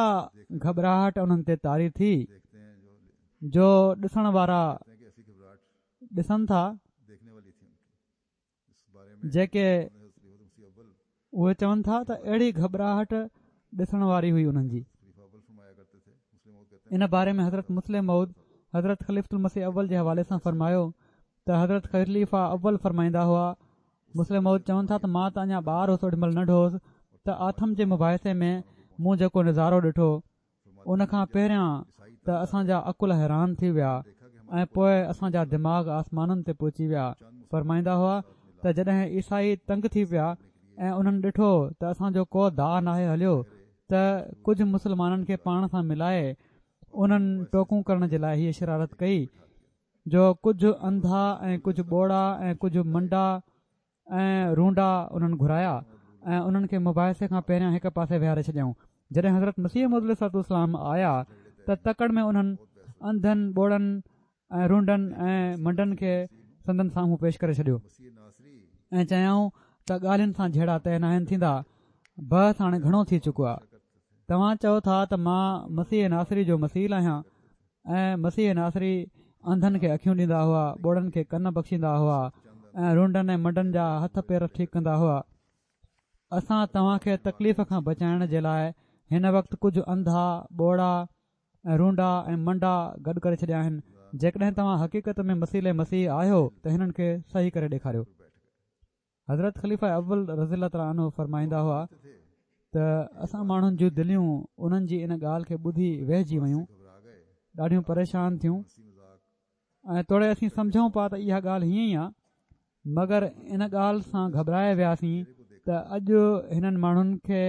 گهٻراهٽ انهن تي طاري ٿي جو ڏسڻ وارا ڏسن ٿا، جيڪي اهي چون ٿا ته اهڙي گهٻراهٽ ڏسڻ واري هئي انهن جي. ان باري ۾ حضرت مصلح موعود حضرت خليفة المسيح اول جي حوالي سان فرمايو ته حضرت خليفه اول فرمائيندا هئا، مصلح موعود چون ٿا ته مان ته اڃا ٻار هوس، اوڏي مهل ننڍو هوس، ته آٿم جي مباحثي ۾ مون جيڪو نظارو ڏٺو ان کان پهريان ته اسان جا عقل حيران ٿي ويا ۽ پوءِ اسان جا دماغ آسمانن تي پهچي ويا. فرمائيندا هئا ته جڏهن عيسائي تنگ ٿي پيا ۽ انهن ڏٺو ته اسان جو ڪو داءُ ناهي هليو ته ڪجهه مسلمانن کي پاڻ سان ملائي انهن ٽوڪون ڪرڻ جي لاءِ هيءَ شرارت ڪئي جو ڪجهه انڌا ۽ ڪجهه ٻوڙا ۽ ڪجهه منڊا ۽ رونڊا انهن گهرايا ۽ انهن کي مباحثي کان پهريان هڪ پاسي ويهاري ڇڏيائون. جڏهن حضرت مسيح موعود عليه الصلوة والسلام آيا ته تڪڙ ۾ انهن انڌن، ٻوڙن ۽ رونڊن ۽ منڊن کي سندن سامهون پيش ڪري ڇڏيو ۽ چيائون ته ڳالهين سان جهيڙا طئي ناهن ٿيندا، بحث هاڻي گهڻو ٿي چڪو آهي. توهان چئو ٿا ته مان مسيح ناصري جو مثيل آهيان ۽ مسيح ناصري انڌن کي اکيون ڏيندا هئا، ٻوڙن کي ڪن بخشيندا هئا ۽ رونڊن ۽ منڊن جا هٿ پير ٺيڪ ڪندا هئا. اسان توهان کي تڪليف کان بچائڻ جي لاءِ هن وقت ڪجهه انڌا، ٻوڙا ۽ رونڊا ۽ منڊا گڏ ڪري ڇڏيا آهن. جيڪڏهن توهان حقيقت ۾ مثيل مسيح آهيو ته هنن کي صحيح ڪري ڏيکاريو. حضرت خليفه اول رضي الله تعاليٰ عنه فرمائيندا هئا ته اسان ماڻهن جون دليون انهن جي ان ڳالهه کي ٻڌي ويهجي ويون، ڏاڍيون پريشان ٿيون ۽ توڙي اسين سمجهون پيا ته اها ڳالهه هيئن ئي آهي، مگر ان ڳالهه سان گهٻرائي وياسين ته اڄ هنن ماڻهن کي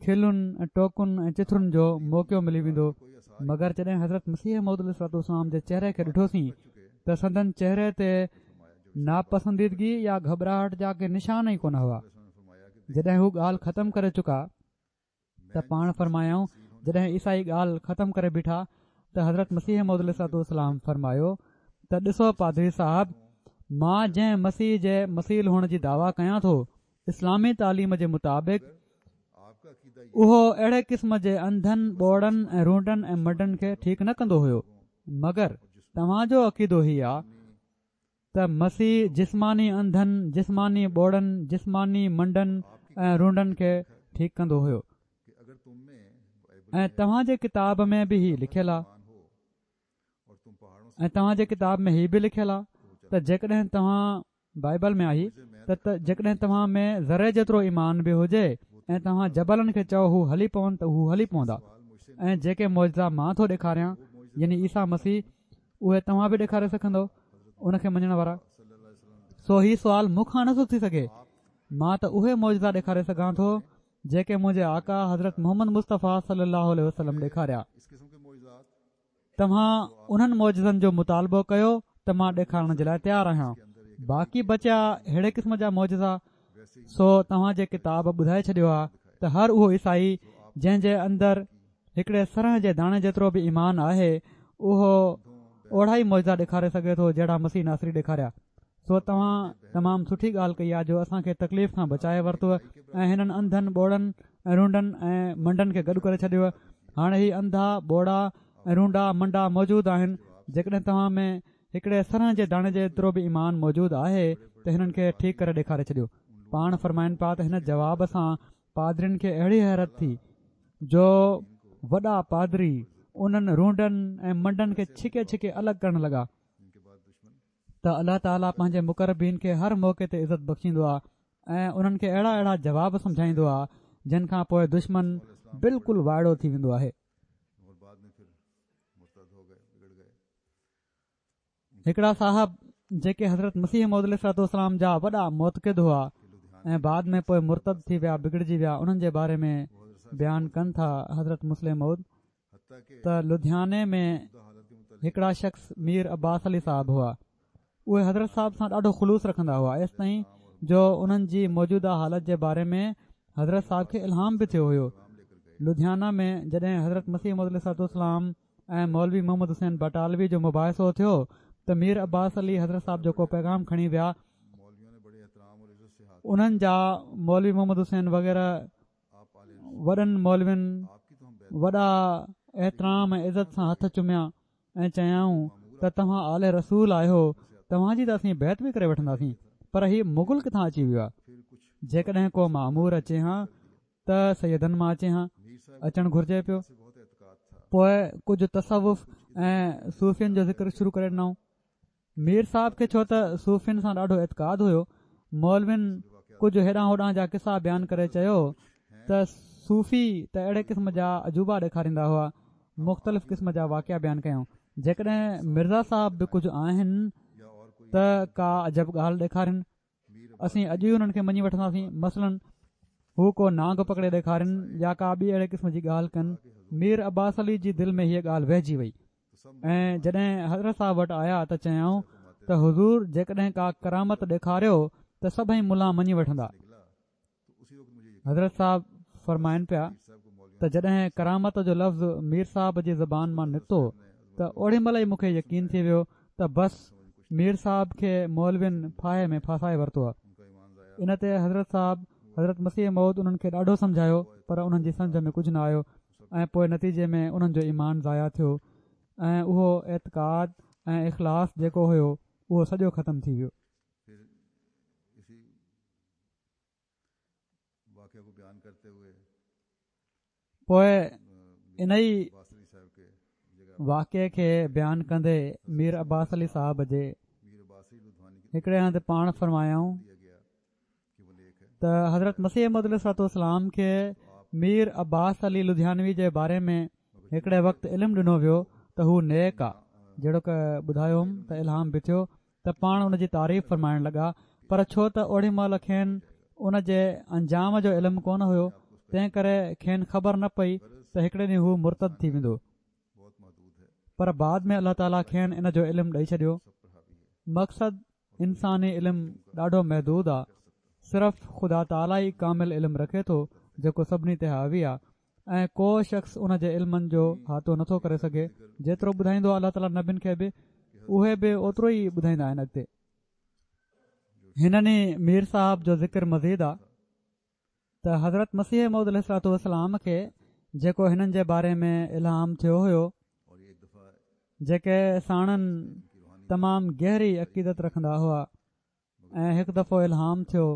کلن ۽ ٽوڪن ۽ چٿرن جو موقعو ملي ويندو. مگر جڏهن حضرت مسيح موعود عليه الصلوة والسلام جي چهري کي ڏٺوسين ته سندن چهري تي ناپسنديدگي يا گهٻراهٽ جا ڪي نشان ئي ڪونه هئا. جڏهن هو ڳالهه ختم ڪري چڪا ته پاڻ فرمايائون، جڏهن عيسائي ڳالهه ختم ڪري بيٺا ته حضرت مسيح موعود عليه الصلوة والسلام فرمايو ته ڏسو پادري صاحب، مان جنهن مسيح جي مثيل هئڻ جي دعويٰ ڪيان ٿو، اسلامي تعليم جي مطابق اهو اهڙي قسم جي انڌن، ٻوڙن ۽ رونڊن ۽ منڊن کي ٺيڪ نه ڪندو هيو، مگر توهان جو عقيدو هي آ ته مسيح جسماني انڌن، جسماني ٻوڙن، جسماني منڊن ۽ رونڊن کي ٺيڪ ڪندو هيو ۽ توهان جي ڪتاب ۾ به هي لکيل آ ۽ توهان جي ڪتاب ۾ هي به لکيل آ ته جيڪڏهن توهان بائبل ۾ آهي ته جيڪڏهن توهان ۾ ذري جيترو ايمان به هجي ۽ توهان جبلن کي چئو هو هلي پون ته هو هلي پوندا، ۽ جيڪي معجزا مان ٿو ڏيکاريان يعني عيسيٰ مسيح، اهي توهان به ڏيکاري سگهندؤ ان کي مڃڻ وارا. سو هي سوال مون کان نٿو ٿي سگهي، مان ته اهي معجزا ڏيکاري سگهان ٿو جيڪي منهنجي آقا حضرت محمد مصطفيٰ صلي الله عليه وسلم ڏيکاريا. توهان انهن معجزن جو مطالبو ڪيو ته مان ڏيکارڻ جي لاء تيار آهيان. باقي بچيا ههڙي قسم جا معجزا، سو توهان جي ڪتاب ٻڌائي ڇڏيو آهي ته هر اهو عيسائي جنهن جي اندر هڪڙي سرهه جي داڻي جيترو به ايمان آهي، اهو اوڙا ئي معجزا ڏيکاري سگهي ٿو جهڙا مسيح ناصري ڏيکاريا. سو توهان تمام سٺي ڳالهه ڪئي آهي جو اسان کي تڪليف کان بچائي ورتو ۽ هنن انڌن، ٻوڙن ۽ رونڊن ۽ منڊن کي گڏ ڪري ڇڏيو. هاڻي هي انڌا، ٻوڙا ۽ رونڊا منڊا موجود آهن. جيڪڏهن توهان ۾ هڪڙي سرهه جي داڻي جيترو به ايمان موجود آهي ته هنن کي ٺيڪ ڪري ڏيکاري ڇڏيو. پاڻ فرمائن پيا ته هن جواب سان پادرين کي اهڙي حيرت ٿي جو وڏا پادري انهن رونڊن ۽ منڊن کي ڇڪي ڇڪي الڳ ڪرڻ لڳا ته الله تعاليٰ پنهنجي مقربين کي هر موقعي تي عزت بخشيندو آهي ۽ انهن کي اهڙا اهڙا جواب سمجهائيندو آهي جن کان پوءِ دشمن بلڪل وائڙو ٿي ويندو آهي. هڪڙا صاحب جيڪي حضرت مسيح موعود عليه الصلوة والسلام جا وڏا معتقد هئا ۽ بعد ۾ پوءِ مرتد ٿي ويا، بگڙجي ويا، انهن جي باري ۾ بيان ڪن ٿا حضرت مصلح موعود ته لڌياني ۾ هڪڙا شخص مير عباس علي صاحب هئا. اهي حضرت صاحب سان ڏاڍو خلوص رکندا هئا، ايستائين جو انهن جي موجوده حالت جي باري ۾ حضرت صاحب کي الهام به ٿيو هيو. لڌيانا ۾ جڏهن حضرت مسيح موعود عليه الصلوة والسلام ۽ مولوي محمد حسين بٽالوي جو مباحثو ٿيو ته مير عباس علي حضرت صاحب جو ڪو پيغام کڻي ويا. انهن جا مولوي محمد حسين وغيره وڏن مولوين وڏا احترام ۽ عزت سان هٿ چميا ۽ چيائون ته توهان آل رسول آهيو، توهان جي ته اسين بيعت به ڪري وٺنداسين، پر هي مغل ڪٿان اچي ويو آهي؟ جيڪڏهن ڪو مامور اچي ها ته سيدن مان اچي ها، اچڻ گهرجي پيو. پوءِ ڪجهه تصوف ۽ صوفين جو ذڪر شروع ڪري ڏنائون. مير صاحب کي ڇو ته صوفين سان ڏاڍو اعتقاد هيو، مولوين ڪجهه هيڏانهن هوڏانهن جا قصا بيان ڪري چيو ته صوفي ته اهڙي قسم جا عجوبا ڏيکاريندا هئا، مختلف قسم جا واقعا بيان ڪيائون. جيڪڏهن مرزا صاحب به ڪجهه آهن ته ڪا عجب ڳالهه ڏيکارين، اسين اڄ ئي انهن کي مڃي وٺنداسين. مثلاً هو ڪو نانگ پڪڙي ڏيکارين يا ڪا ٻي اهڙي قسم جي ڳالهه ڪن. مير عباس علي جي دل ۾ هيءَ ڳالهه وهجي وئي ۽ جڏهن حضرت صاحب وٽ آيا ته چيائون ته حضور جيڪڏهن ڪا ڪرامت ڏيکاريو ته سڀئي ملا مڃي وٺندا. حضرت صاحب فرمائن پيا ته جڏهن ڪرامت جو لفظ مير صاحب جي زبان مان نڪتو ته اوڏي مهل ئي مون کي يقين ٿي ويو ته بس مير صاحب کي مولوين ڦاهي ۾ ڦاسائي ورتو آهي. ان تي حضرت صاحب حضرت مسيح موعود انهن کي ڏاڍو سمجهايو پر انهن جي سمجهه ۾ ڪجهه نه آيو ۽ پوءِ نتيجي ۾ انهن جو ايمان ضايع ٿيو ۽ اهو اعتقاد ۽ اخلاص جيڪو هيو اهو سڄو ختم ٿي ويو. پوءِ انهي واقعي کي بيان ڪندي مير عباس علي صاحب جي هڪڙي هنڌ پاڻ فرمايائون ته حضرت مسيح موعود عليه الصلوة والسلام کي مير عباس علي لڌيانوي جي باري ۾ هڪڙي وقت علم ڏنو ويو ته هو نيڪ آ، جهڙوڪ ٻڌايو هوم ته الهام به ٿيو ته پاڻ ان جي تعريف فرمائڻ لڳا، پر ڇو ته اوڏي مهل کين ان جي انجام جو علم ڪونه هيو، تنهن ڪري کين خبر نه پئي ته هڪڙي ڏينهن هو مرتد ٿي ويندو، پر بعد ۾ الله تعاليٰ کين ان جو علم ڏئي ڇڏيو. مقصد انساني علم ڏاڍو محدود آهي، صرف خدا تعاليٰ ئي ڪامل علم رکي ٿو جيڪو سڀني تي حاوي آهي ۽ ڪو شخص ان جي علمن جو احاطو نٿو ڪري سگهي. جيترو ٻڌائيندو آهي الله تعاليٰ نبين کي به اهي به اوترو ئي ٻڌائيندا آهن. اڳتي هنن ئي مير صاحب جو ذڪر مزيد آهي ته حضرت مسيح موعود عليه الصلوة والسلام کي جيڪو هنن جي باري ۾ الهام ٿيو هيو، جيڪي ساڻن تمام گهري عقيدت رکندا هئا، ۽ هڪ دفعو الهام ٿيو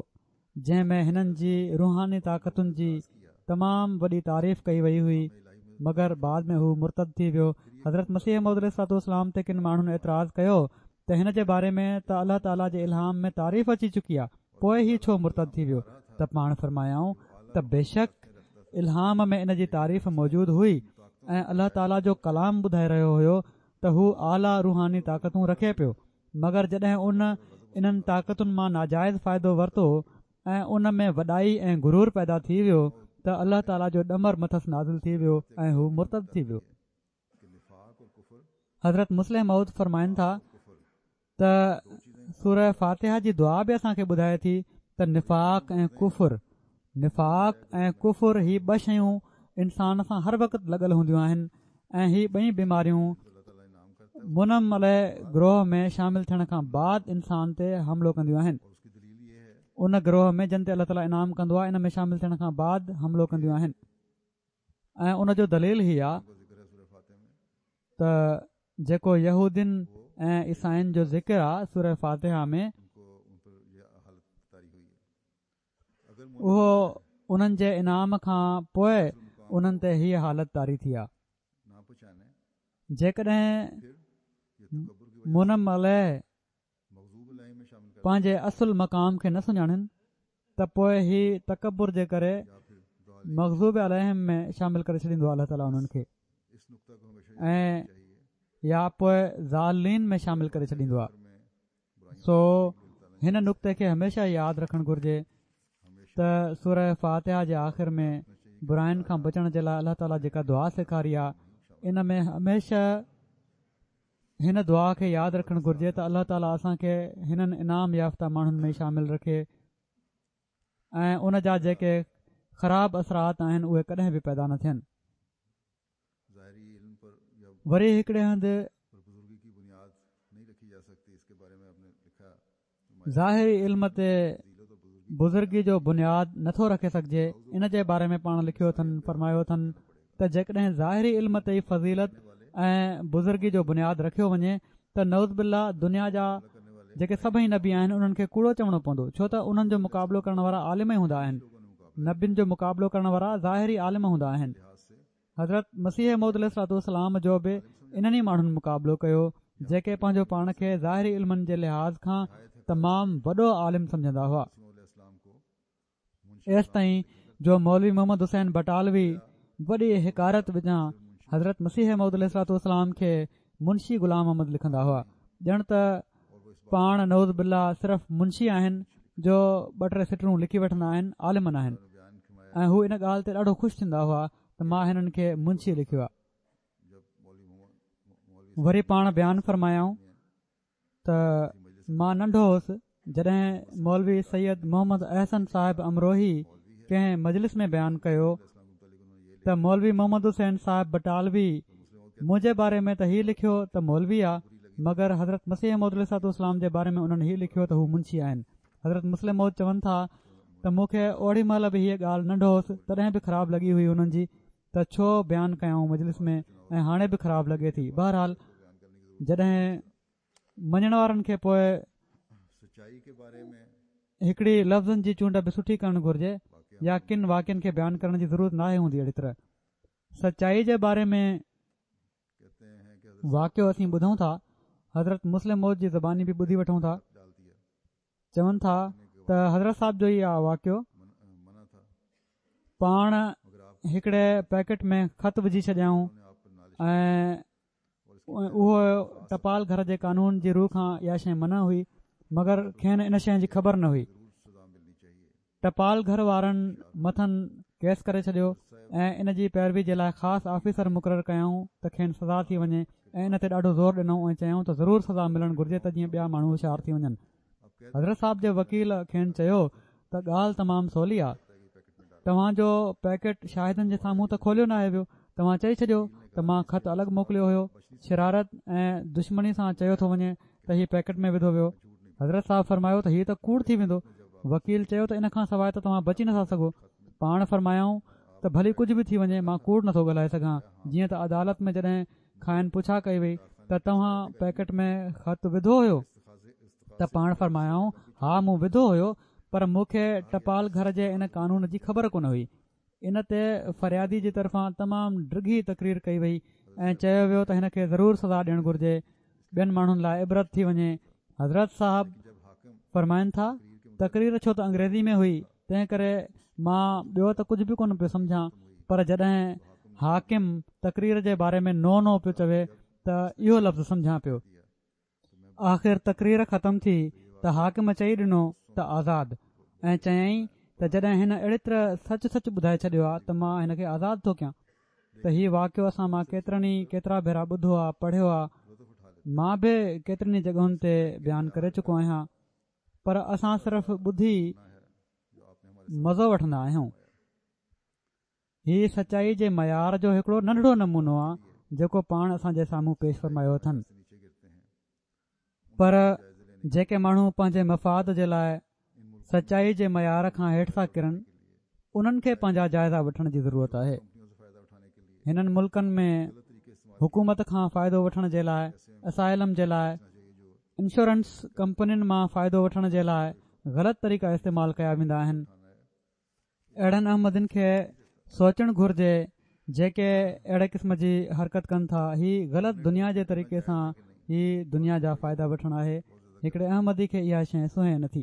جنهن ۾ هنن جي روحاني طاقتن جي تمام وڏي تعريف ڪئي وئي هئي، مگر بعد ۾ هو مرتد ٿي ويو. حضرت مسيح موعود عليه الصلوة والسلام تي ڪن ماڻهن اعتراض ڪيو ته هن جي باري ۾ ته الله تعاليٰ جي الهام ۾ تعريف اچي چڪي آهي، پوء هي ڇو مرتد ٿي ويو؟ ته پاڻ فرمايائون ته بيشڪ الهام ۾ ان جي تعريف موجود هئي ۽ الله تعاليٰ جو ڪلام ٻڌائي رهيو هيو ته هو اعليٰ روحاني طاقتون رکي پيو، مگر جڏهن ان انهن طاقتن مان ناجائز فائدو ورتو ۽ ان ۾ وڏائي ۽ غرور پيدا ٿي ويو ته الله تعاليٰ جو ڏمر مٿس نازل ٿي ويو ۽ هو مرتد ٿي ويو. حضرت مصلح موعود فرمائن ٿا ته سوره فاتحه جي دعا به اسان کي ٻڌائي ٿي ته نفاق ۽ ڪفر نفاق ۽ ڪفر هي ٻه شيون انسان سان هر وقت لڳل هونديون آهن ۽ هي ٻئي بيماريون منعم عليه گروهه ۾ شامل ٿيڻ کان بعد انسان تي حملو ڪنديون آهن. ان گروهه ۾ جن تي الله تعاليٰ انعام ڪندو آهي ان ۾ شامل ٿيڻ کان بعد حملو ڪنديون آهن ۽ ان جو دليل هي آهي ته جيڪو يهودين ۽ عيسائين جو ذڪر آهي سوره فاتحه ۾ اهو انهن جي انعام کان پوء انهن تي هيء حالت طاري ٿي آهي. جيڪڏهن منعم عليه پنهنجي اصل مقام کي نه سڃاڻن ته پوء هي تڪبر جي ڪري مغضوب عليهم ۾ شامل ڪري ڇڏيندو آهي الله تعاليٰ انهن کي ۽ يا پوء ضالين ۾ شامل ڪري ڇڏيندو آهي. سو هن نقطي کي هميشه ياد رکڻ گهرجي ته سوره فاتحه جي آخر ۾ براين کان بچڻ جي لاء الله تعاليٰ جيڪا دعا سيکاري آهي ان ۾ هميشه هن دعا کي ياد رکڻ گهرجي ته الله تعاليٰ اسان کي هنن انعام يافته ماڻهن ۾ شامل رکي ۽ ان جا جيڪي خراب اثرات آهن اهي ڪڏهن به پيدا نه ٿين. وري هڪڙي هنڌ ظاهري علم تي بزرگي جو بنياد نٿو رکي سگهجي ان جي باري ۾ پاڻ لکيو اٿن فرمايو اٿن ته جيڪڏهن ظاهري علم تي ئي فضيلت ۽ بزرگي جو بنياد رکيو وڃي ته نعوذ بالله دنيا جا جيڪي سڀئي نبي آهن انهن کي ڪوڙو چوڻو پوندو، ڇو ته انهن جو مقابلو ڪرڻ وارا عالم ئي هوندا آهن، نبين جو مقابلو ڪرڻ وارا ظاهري عالم هوندا آهن. حضرت مسيح موعود عليه الصلوة والسلام جو به انهن ئي ماڻهن مقابلو ڪيو جيڪي پنهنجو پاڻ کي ظاهري علمن جي لحاظ کان تمام وڏو عالم سمجهندا هئا. ايستائين جو مولوي محمد حسين بٽالوي وڏي حقارت وچان حضرت مسيح موعود عليه الصلوة والسلام کي منشي غلام محمد لکندا هئا، ڄڻ ته پاڻ نعوذ بالله صرف منشي آهن جو ٻه ٽي سٽرون لکي وٺندا آهن، عالم ناهن. ۽ هو ان ڳالهه تي ڏاڍو خوش ٿيندا هئا ته مان هنن کي منشي لکيو آهي. وري پاڻ بيان فرمايائون ته مان ننڍو هوس جڏهن مولوي سيد محمد احسن صاحب امروهي ڪنهن مجلس ۾ بيان ڪيو ته مولوي محمد حسين صاحب بٽالوي منهنجي باري ۾ ته هي لکيو ته مولوي آ مگر حضرت مسيح موعود عليه الصلوة والسلام جي باري ۾ انهن هي لکيو ته هو منشي آهن. حضرت مصلح موعود چون ٿا ته مون کي اوڏي مهل به هيء ڳالهه ننڍو هوس تڏهن به خراب لڳي هئي انهن جي ته ڇو بيان ڪيائون مجلس ۾ ۽ هاڻي به خراب لڳي ٿي. بهرحال جڏهن مڃڻ وارن کي پوء هڪڙي لفظن جي چونڊ به سٺي ڪرڻ گهرجي يا ڪن واقعن کي بيان ڪرڻ جي ضرورت ناهي هوندي. اهڙي طرح سچائي جي باري ۾ واقعو اسين ٻڌون ٿا، حضرت مصلح موعود جي زباني به ٻڌي وٺون ٿا. چون ٿا ته حضرت صاحب جو ئي آ واقعو، پاڻ هڪڙي پيڪٽ ۾ خط وجهي ڇڏيائون ۽ اهو ٽپال گهر جي قانون جي رو کان اها شيء منع هئي مگر کين ان شيء جي خبر نه هئي. ٽپال گهر وارن مٿن ڪيس ڪري ڇڏيو ۽ ان جي پيروي جي لاء خاص آفيسر مقرر ڪيائون ته کين سزا ٿي وڃي ۽ ان تي ڏاڍو زور ڏنائون ۽ چيائون ته ضرور سزا ملڻ گهرجي ته جيئن ٻيا ماڻهو هوشيار ٿي وڃن. حضرت صاحب جي وڪيل کين چيو ته ڳالهه تمام سولي آهي، توهان جو پيڪيٽ شاهدن جي سامهون ته کوليو ناهي ويو، توهان چئي ڇڏيو ته مان خط الڳ موڪليو هيو، شرارت ۽ دشمني سان چيو ٿو وڃي ته هي پيڪيٽ ۾ وڌو ويو. حضرت صاحب فرمايو ته هي ته ڪوڙ ٿي ويندو. وڪيل چيو ته ان کان سواءِ ته توهان بچي نٿا سگهو. پاڻ فرمايائون ته ڀلي ڪجهه به ٿي وڃي مان ڪوڙ نٿو ڳالهائي سگهان. جيئن ته عدالت ۾ جڏهن کانئن پڇا ڪئي وئي ته توهان پيڪيٽ ۾ خط وڌو هيو ته پاڻ فرمايائون ها مون وڌو هيو، پر مون کي ٽپال گهر جي ان قانون جي خبر ڪونه هئي. ان تي فريادي جي طرفان تمام ڊگهي تقرير ڪئي وئي ۽ چيو ويو ته هن کي ضرور سزا ڏيڻ گهرجي، ٻين ماڻهن لاءِ عبرت ٿي وڃي. حضرت صاحب فرمائن ٿا تقرير ڇو ته انگريزي ۾ هئي تنهن ڪري مان ٻيو ته ڪجهه به ڪونه پيو سمجهان، پر جڏهن حاڪم تقرير جي باري ۾ نو نو پيو چوي ته اهو لفظ سمجهان پيو. آخر تقرير ختم ٿي ته حاڪم چئي ڏنو ته آزاد، ۽ چيائين ته جڏهن هن اهڙي طرح سچ سچ ٻڌائي ڇڏيو آهي ته مان هن کي آزاد ٿو ڪيان. ته هي واقعو اسان مان ڪيترن ئي ڪيترا ڀيرا ٻڌو آهي، پڙهيو آهي، مان به ڪيترن ئي جڳهن تي بيان ڪري چڪو آهيان، پر اسان صرف ٻڌي مزو وٺندا آهيون. هي سچائي جي معيار جو هڪڙو ننڍڙو نمونو آهي جيڪو پاڻ اسان جي سامهون پيش فرمايو اٿن. پر جيڪي ماڻهو پنهنجي مفاد جي لاءِ سچائي جي معيار کان هيٺ ٿا ڪرن انهن کي پنهنجا جائزا وٺڻ جي ضرورت آهي. هنن ملڪن ۾ حڪومت کان فائدو وٺڻ جي لاءِ، اسائلم جي لاءِ، انشورنس ڪمپنين مان فائدو وٺڻ جي لاءِ غلط طريقا استعمال ڪيا ويندا آهن. اهڙن احمدين کي سوچڻ گهرجي جيڪي اهڙي قسم جي حرڪت ڪن ٿا. هي غلط دنيا جي طريقي سان هي دنيا جا فائدا وٺڻ آهي. هڪڙي احمدي کي اها شيءِ سونهي نٿي.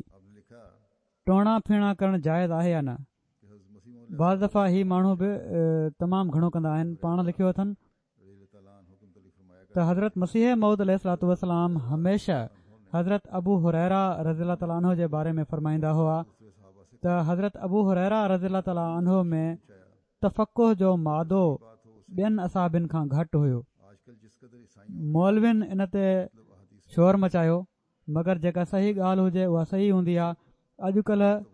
ٽوڻا ڦيڻا ڪرڻ جائز آهي يا نه؟ بعض دفعا هي ماڻهو به تمام گهڻو ڪندا آهن. پاڻ لکيو اٿن ته حضرت مسيح موعود عليه الصلوة والسلام هميشه حضرت ابو هريره رضي الله تعالٰي عنه جي باري ۾ فرمائيندا هئا ته حضرت ابو هريره رضي الله تعالٰي عنه ۾ تفقه جو مادو ٻين اصحابن کان گهٽ هيو. مولوين ان تي شور مچايو، مگر جيڪا صحيح ڳالهه هجي اها صحيح هوندي آهي. اڄڪلهه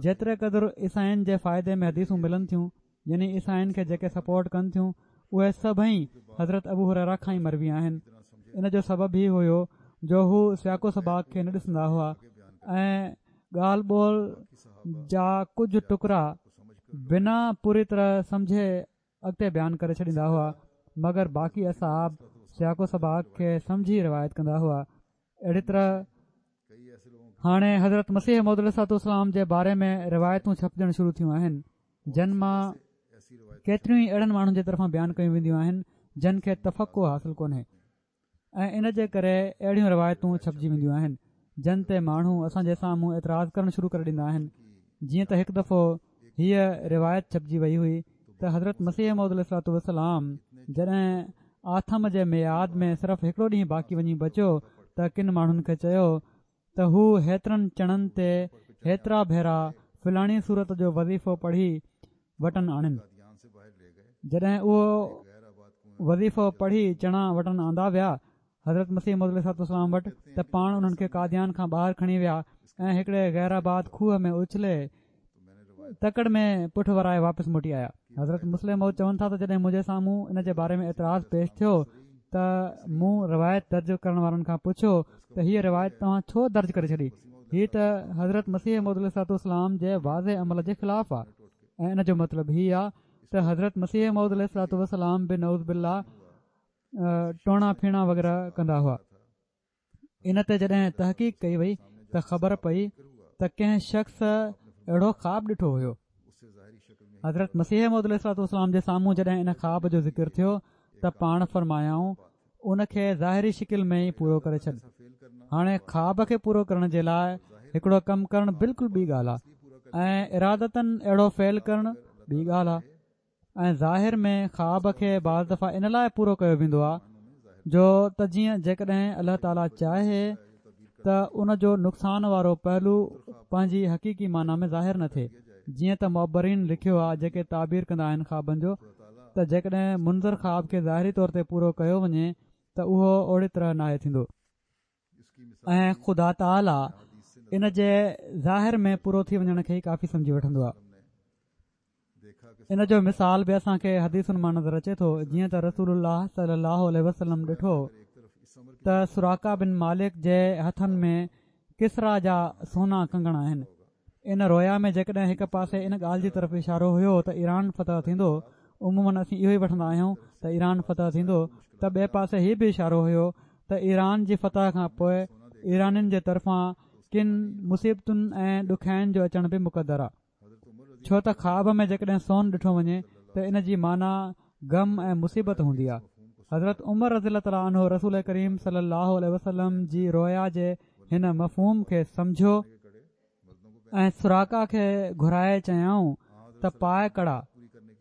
جيتري قدر عيسائين جي فائدي ۾ حديثون ملن ٿيون، يعني عيسائين کي جيڪي سپورٽ ڪن ٿيون، اهي سڀئي حضرت ابو هريره کان ئي مروي آهن. ان جو سبب هي هيو جو هو سياق و سباق کي نه ڏسندا هئا ۽ ڳالهه ٻولهه جا ڪجهه ٽڪرا بنا پوري طرح سمجهي اڳتي بيان ڪري ڇڏيندا هئا، مگر باقي اصحاب سياق و سباق کي سمجهي روايت ڪندا هئا. اهڙي طرح هاڻي حضرت مسيح موعود عليه الصلوة والسلام جي باري ۾ روايتون ڇپجڻ شروع ٿيون آهن، جن مان ڪيتريون ئي اهڙن ماڻهن جي طرفان بيان ڪيون وينديون آهن جن کي تفقه حاصل ڪونهي، ۽ ان جي ڪري اهڙيون روايتون ڇپجي وينديون آهن جن تي ماڻهو اسان جي سامهون اعتراض ڪرڻ شروع ڪري ڏيندا آهن. جيئن ته هڪ دفعو هيءَ روايت ڇپجي وئي هئي ته حضرت مسيح موعود عليه الصلوة والسلام جڏهن آٿم جي ميعاد ۾ صرف هڪڙو ڏينهن باقي وڃي بچيو ته ڪن ماڻهن کي چيو ته هو هيترن چڻن تي هيترا ڀيرا فلاڻي سورت جو وظيفو پڙهي وٽن آڻن. جڏهن اهو وظيفو پڙهي چڻا وٽن آندا ويا حضرت مسيح موعود عليه الصلوة والسلام وٽ، ته پاڻ انهن کي قاديان کان ٻاهر کڻي ويا ۽ هڪڙي غير آباد کوهه ۾ اڇلي تڪڙ ۾ پٺ ورائي واپس موٽي آيا. حضرت مصلح موعود چون ٿا ته جڏهن منهنجي سامهون ان جي باري ۾ اعتراض پيش ٿيو ته مون روايت درج ڪرڻ وارن کان پڇيو ته هيءَ روايت توهان ڇو درج ڪري ڇڏي؟ هيءَ ته حضرت مسيح موعود عليه الصلوة والسلام جي واضح عمل جي خلاف آهي، ۽ ان جو مطلب هي آهي ته حضرت مسيح موعود عليه الصلوة والسلام به نعوذ بالله ٽوڻا ڦيڻا وغيره ڪندا هئا. ان تي جڏهن تحقيق ڪئي وئي ته خبر پئي ته ڪنهن شخص اهڙو خواب ڏٺو هيو. حضرت مسيح موعود عليه الصلوة والسلام جي سامهون جڏهن ان خواب جو ذڪر ٿيو ته پاڻ فرمايائون ان کي ظاهري شڪل ۾ ئي پورو ڪري ڇڏ. هاڻي خواب کي پورو ڪرڻ جي لاءِ هڪڙو ڪم ڪرڻ بلڪل ٻي ڳالهه آهي ۽ ارادتن اهڙو فعل ڪرڻ ٻي ڳالهه آهي. ۽ ظاهر ۾ خواب کي بعض دفعا ان لاءِ پورو ڪيو ويندو آهي جو ته جيئن جيڪڏهن الله تعاليٰ چاهي ته ان جو نقصان وارو پهلو پنهنجي حقيقي معنيٰ ۾ ظاهر نه ٿئي. جيئن ته معبرين لکيو آهي جيڪي تعبير ڪندا آهن خوابن جو، ته جيڪڏهن منظر خواب کي ظاهري طور تي پورو ڪيو وڃي ته اهو اوڙي طرح ناهي ٿيندو، ۽ خدا تعاليٰ ان جي ظاهر ۾ پورو ٿي وڃڻ کي ئي ڪافي سمجهي وٺندو آهي. ان جو مثال به اسان کي حديثن مان نظر اچي ٿو، جيئن ته رسول الله صلي الله عليه وسلم ڏٺو ته سراقه بن مالڪ جي هٿن ۾ ڪسريٰ جا سونا ڪنگڻ آهن. ان رويا ۾ جيڪڏهن هڪ پاسي ان ڳالهه جي طرف اشارو هيو ته ايران فتح ٿيندو، عموماً اسين اهو ئي وٺندا آهيون ته ايران فتح ٿيندو، ته ٻئي پاسي هي به اشارو هيو ته ايران جي فتح کان پوء ايرانين جي طرفان ڪن مصيبتن ۽ ڏکيائين جو اچڻ به مقدر آهي. ڇو ته خواب ۾ جيڪڏهن سون ڏٺو وڃي ته ان جي معنيٰ غم ۽ مصيبت هوندي آهي. حضرت عمر رضي الله تعالٰي عنه رسول ڪريم صلي الله عليه وسلم جي رويا جي هن مفهوم کي سمجهيو ۽ سراقه کي گهرائي چيائون ته پاء ڪڙا،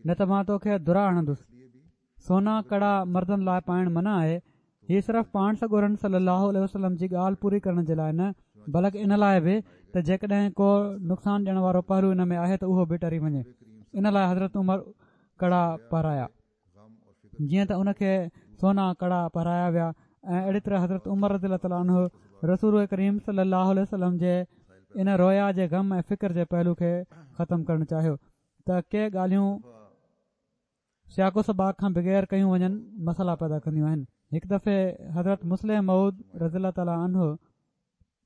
نه ته مان توکي درا هڻندس. سونا ڪڙا مردن لاء پائڻ منع آهي. هي صرف پاڻ سڳورن صلي الله عليه وسلم جي ڳالهه پوري ڪرڻ جي لاء نه، بلڪ ان لاء به ته جيڪڏهن ڪو نقصان ڏيڻ وارو پهلو ان ۾ آهي ته اهو به ٽري وڃي. ان لاء حضرت عمر ڪڙا پهرايا، جيئن ته ان کي سونا ڪڙا پهرايا ويا. ۽ اهڙي طرح حضرت عمر رضي الله تعالٰي عنه رسول ڪريم صلي الله عليه وسلم جي ان رويا جي غم ۽ فڪر جي پهلو کي ختم ڪرڻ چاهيو ته ڪي ڳالهيون سياق و سباق کان بغير ڪيون وڃن مسئلا پيدا ڪنديون آهن. هڪ دفعي حضرت مصلح موعود رضي الله تعالٰي عنه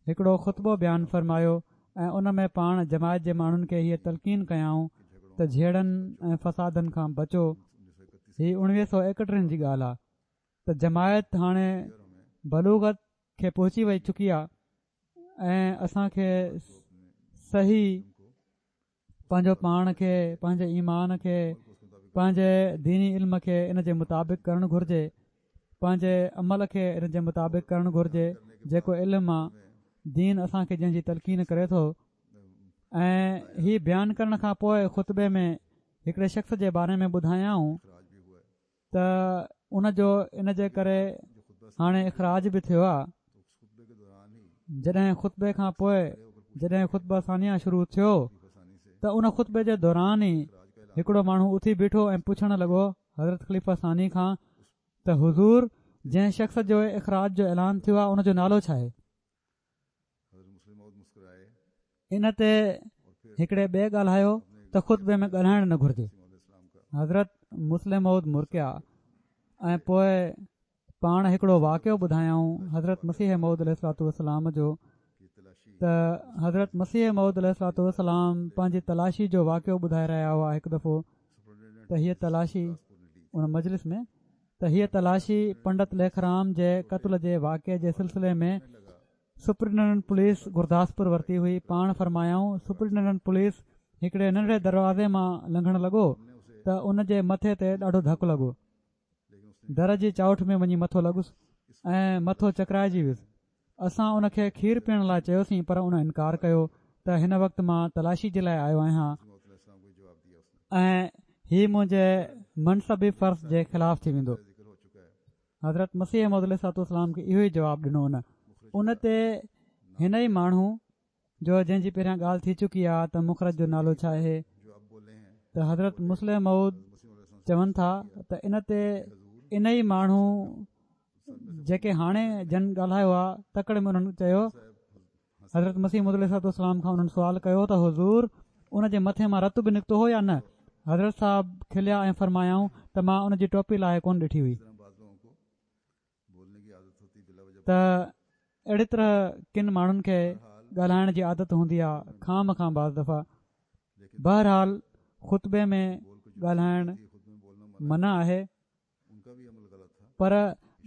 هڪڙو خطبو بيان فرمايو ۽ ان ۾ پاڻ جماعت جي ماڻهن کي هيء تلقين ڪيائون ته جهيڙن ۽ فسادن کان بچو. هي اڻويهه سؤ ايڪٽيهن جي ڳالهه آهي ته جماعت هاڻي بلوغت کي پهچي وئي چڪي آهي ۽ اسان کي صحيح پنهنجو پاڻ کي، پنهنجي ايمان کي، پنهنجي ديني علم کي ان جي مطابق ڪرڻ گهرجي، پنهنجي عمل کي ان جي مطابق ڪرڻ گهرجي جيڪو علم آ دين اسان کي جنهن جي تلقين ڪري ٿو. ۽ هي بيان ڪرڻ کان پوء خطبي ۾ هڪڙي شخص جي باري ۾ ٻڌايائون ته ان جو ان جي ڪري هاڻي اخراج به ٿيو آ. جڏهن خطبي کان پوء جڏهن خطبه ثانيه شروع ٿيو ته ان خطبي جي دوران ئي هڪڙو ماڻهو اٿي بيٺو ۽ پڇڻ لڳو حضرت خليفه ثاني کان ته حضور جنهن شخص جو اخراج جو اعلان ٿيو آهي ان جو نالو ڇا آهي؟ ان تي هڪڙي ٻئي ڳالهايو ته خطبي ۾ ڳالهائڻ نه گهرجي. حضرت مصلح موعود مرڪيا ۽ پوء پاڻ هڪڙو واقعو ٻڌايائون حضرت مسيح موعود عليه الصلوة والسلام جو ته حضرت مسيح موعود عليه الصلوة والسلام پنهنجي تلاشي جو واقعو ٻڌائي رهيا هئا هڪ دفعو ته هيء تلاشي ان مجلس ۾ ته هيء تلاشي پنڊت ليکرام جي قتل جي واقعي جي سلسلي ۾ سپرنٽينڊنٽ پوليس گرداسپور ورتي هئي. پاڻ فرمايائون سپرنٽينڊنٽ پوليس هڪڙي ننڍڙي دروازي مان لنگهڻ لڳو ته ان جي مٿي تي ڏاڍو ڌڪ لڳو، در جي چائوٺ ۾ وڃي مٿو لڳس ۽ مٿو چڪرائجي ويس. اسان ان کي کير پيئڻ لاء چيوسين پر ان انڪار ڪيو ته هن وقت مان تلاشي جي لاء آيو آهيان ۽ هي منهنجي منصبي فرض جي خلاف ٿي ويندو. حضرت مسيح موعود عليه الصلوة والسلام کي اهو ئي جواب ڏنو. ان ان تي هن ئي ماڻهو جو جنهن جي پهريان ڳالهه ٿي چڪي آهي ته مخرج جو نالو ڇا آهي، ته حضرت مصلح موعود چون ٿا ته ان تي ان ئي ماڻهو جيڪي هاڻي جن ڳالهايو آهي تڪڙ ۾ انهن چيو حضرت مسيح موعود عليه الصلوة والسلام کان انهن سوال ڪيو ته حضور ان جي مٿي مان رت به نڪتو هو يا نه؟ حضرت صاحب کليا ۽ فرمايائون ته مان ان جي ٽوپي لاهي ڪونه ڏٺي هئي. ته اهڙي طرح ڪن ماڻهن کي ڳالهائڻ جي عادت هوندي آهي خام کان بعض دفعا. بهرحال خطبي ۾ ڳالهائڻ منع آهي، پر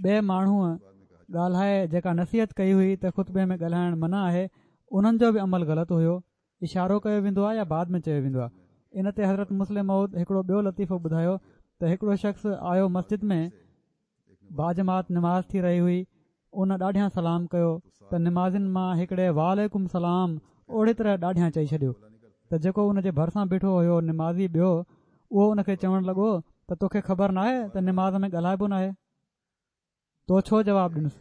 ٻئي ماڻهوء ڳالهائي جيڪا نصيحت ڪئي هئي ته خطبي ۾ ڳالهائڻ منع آهي انهن جو به عمل غلط هيو. اشارو ڪيو ويندو آهي يا بعد ۾ چيو ويندو آهي؟ ان تي حضرت مصلح موعود هڪڙو ٻيو لطيفو ٻڌايو ته هڪڙو شخص آيو مسجد ۾ باجماعت نماز ٿي رهي هئي، ان ڏاڍيان سلام ڪيو ته نمازين مان هڪڙي وعليڪم سلام اوڙي طرح ڏاڍيان چئي ڇڏيو ته جيڪو ان جي ڀرسان بيٺو هيو نمازي ٻيو اهو ان کي چوڻ لڳو ته توکي خبر ناهي ته نماز ۾ ڳالهائبو ناهي، تو ڇو جواب ڏنس؟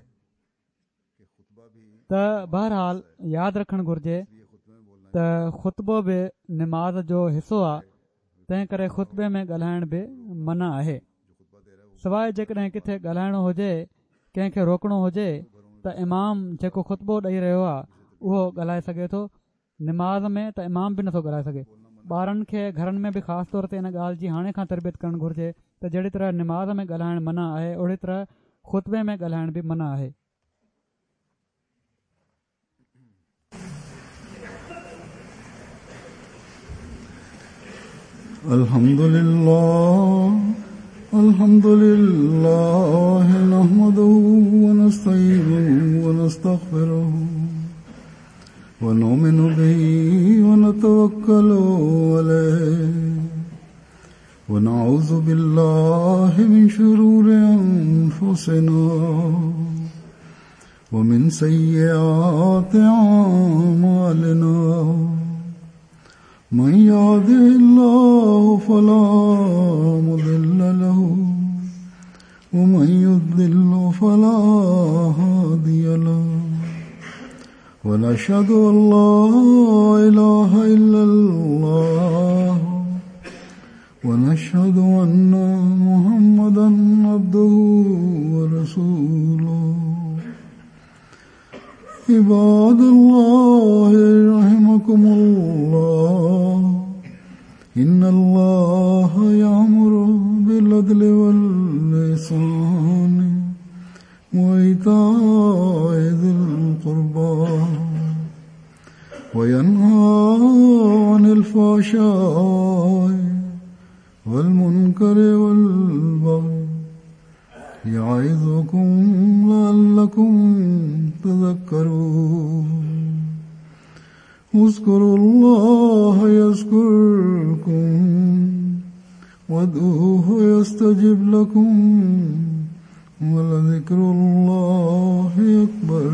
ته بهرحال ياد رکڻ گهرجي ته خطبو به نماز جو حصو آهي، تنهن ڪري خطبي ۾ ڳالهائڻ به منع آهي، سواءِ جيڪڏهن ڪٿي ڳالهائڻو هجي، ڪنهن کي روڪڻو هجي ته امام جيڪو خطبو ڏئي رهيو آهي اهو ڳالهائي سگهي ٿو. نماز ۾ ته امام به نٿو ڳالهائي سگهي. ٻارن کي گهرن ۾ به خاص طور تي ان ڳالهه جي هاڻي کان تربيت ڪرڻ گهرجي ته جهڙي طرح نماز ۾ ڳالهائڻ منع آهي اهڙي طرح خطبي ۾ ڳالهائڻ به منع آهي. الحمد لله الحمد لله نحمده ونستعينه ونستغفره ونؤمن به ونتوكل عليه ونعوذ بالله من شرور أنفسنا ومن سيئات أعمالنا من يهده الله فلا مضل له ومن يضلل فلا هادي له ونشهد أن لا إله إلا الله ونشهد أن محمدا عبده ورسوله. عباد الله رحمكم الله إن الله يأمر بالعدل والإحسان وإيتاء ذي القربى وينهى عن الفحشاء والمنكر والبغي يعظكم لعلكم تذكرون. اذكروا الله يذكركم وادعوه يستجب لكم ولذكر الله أكبر.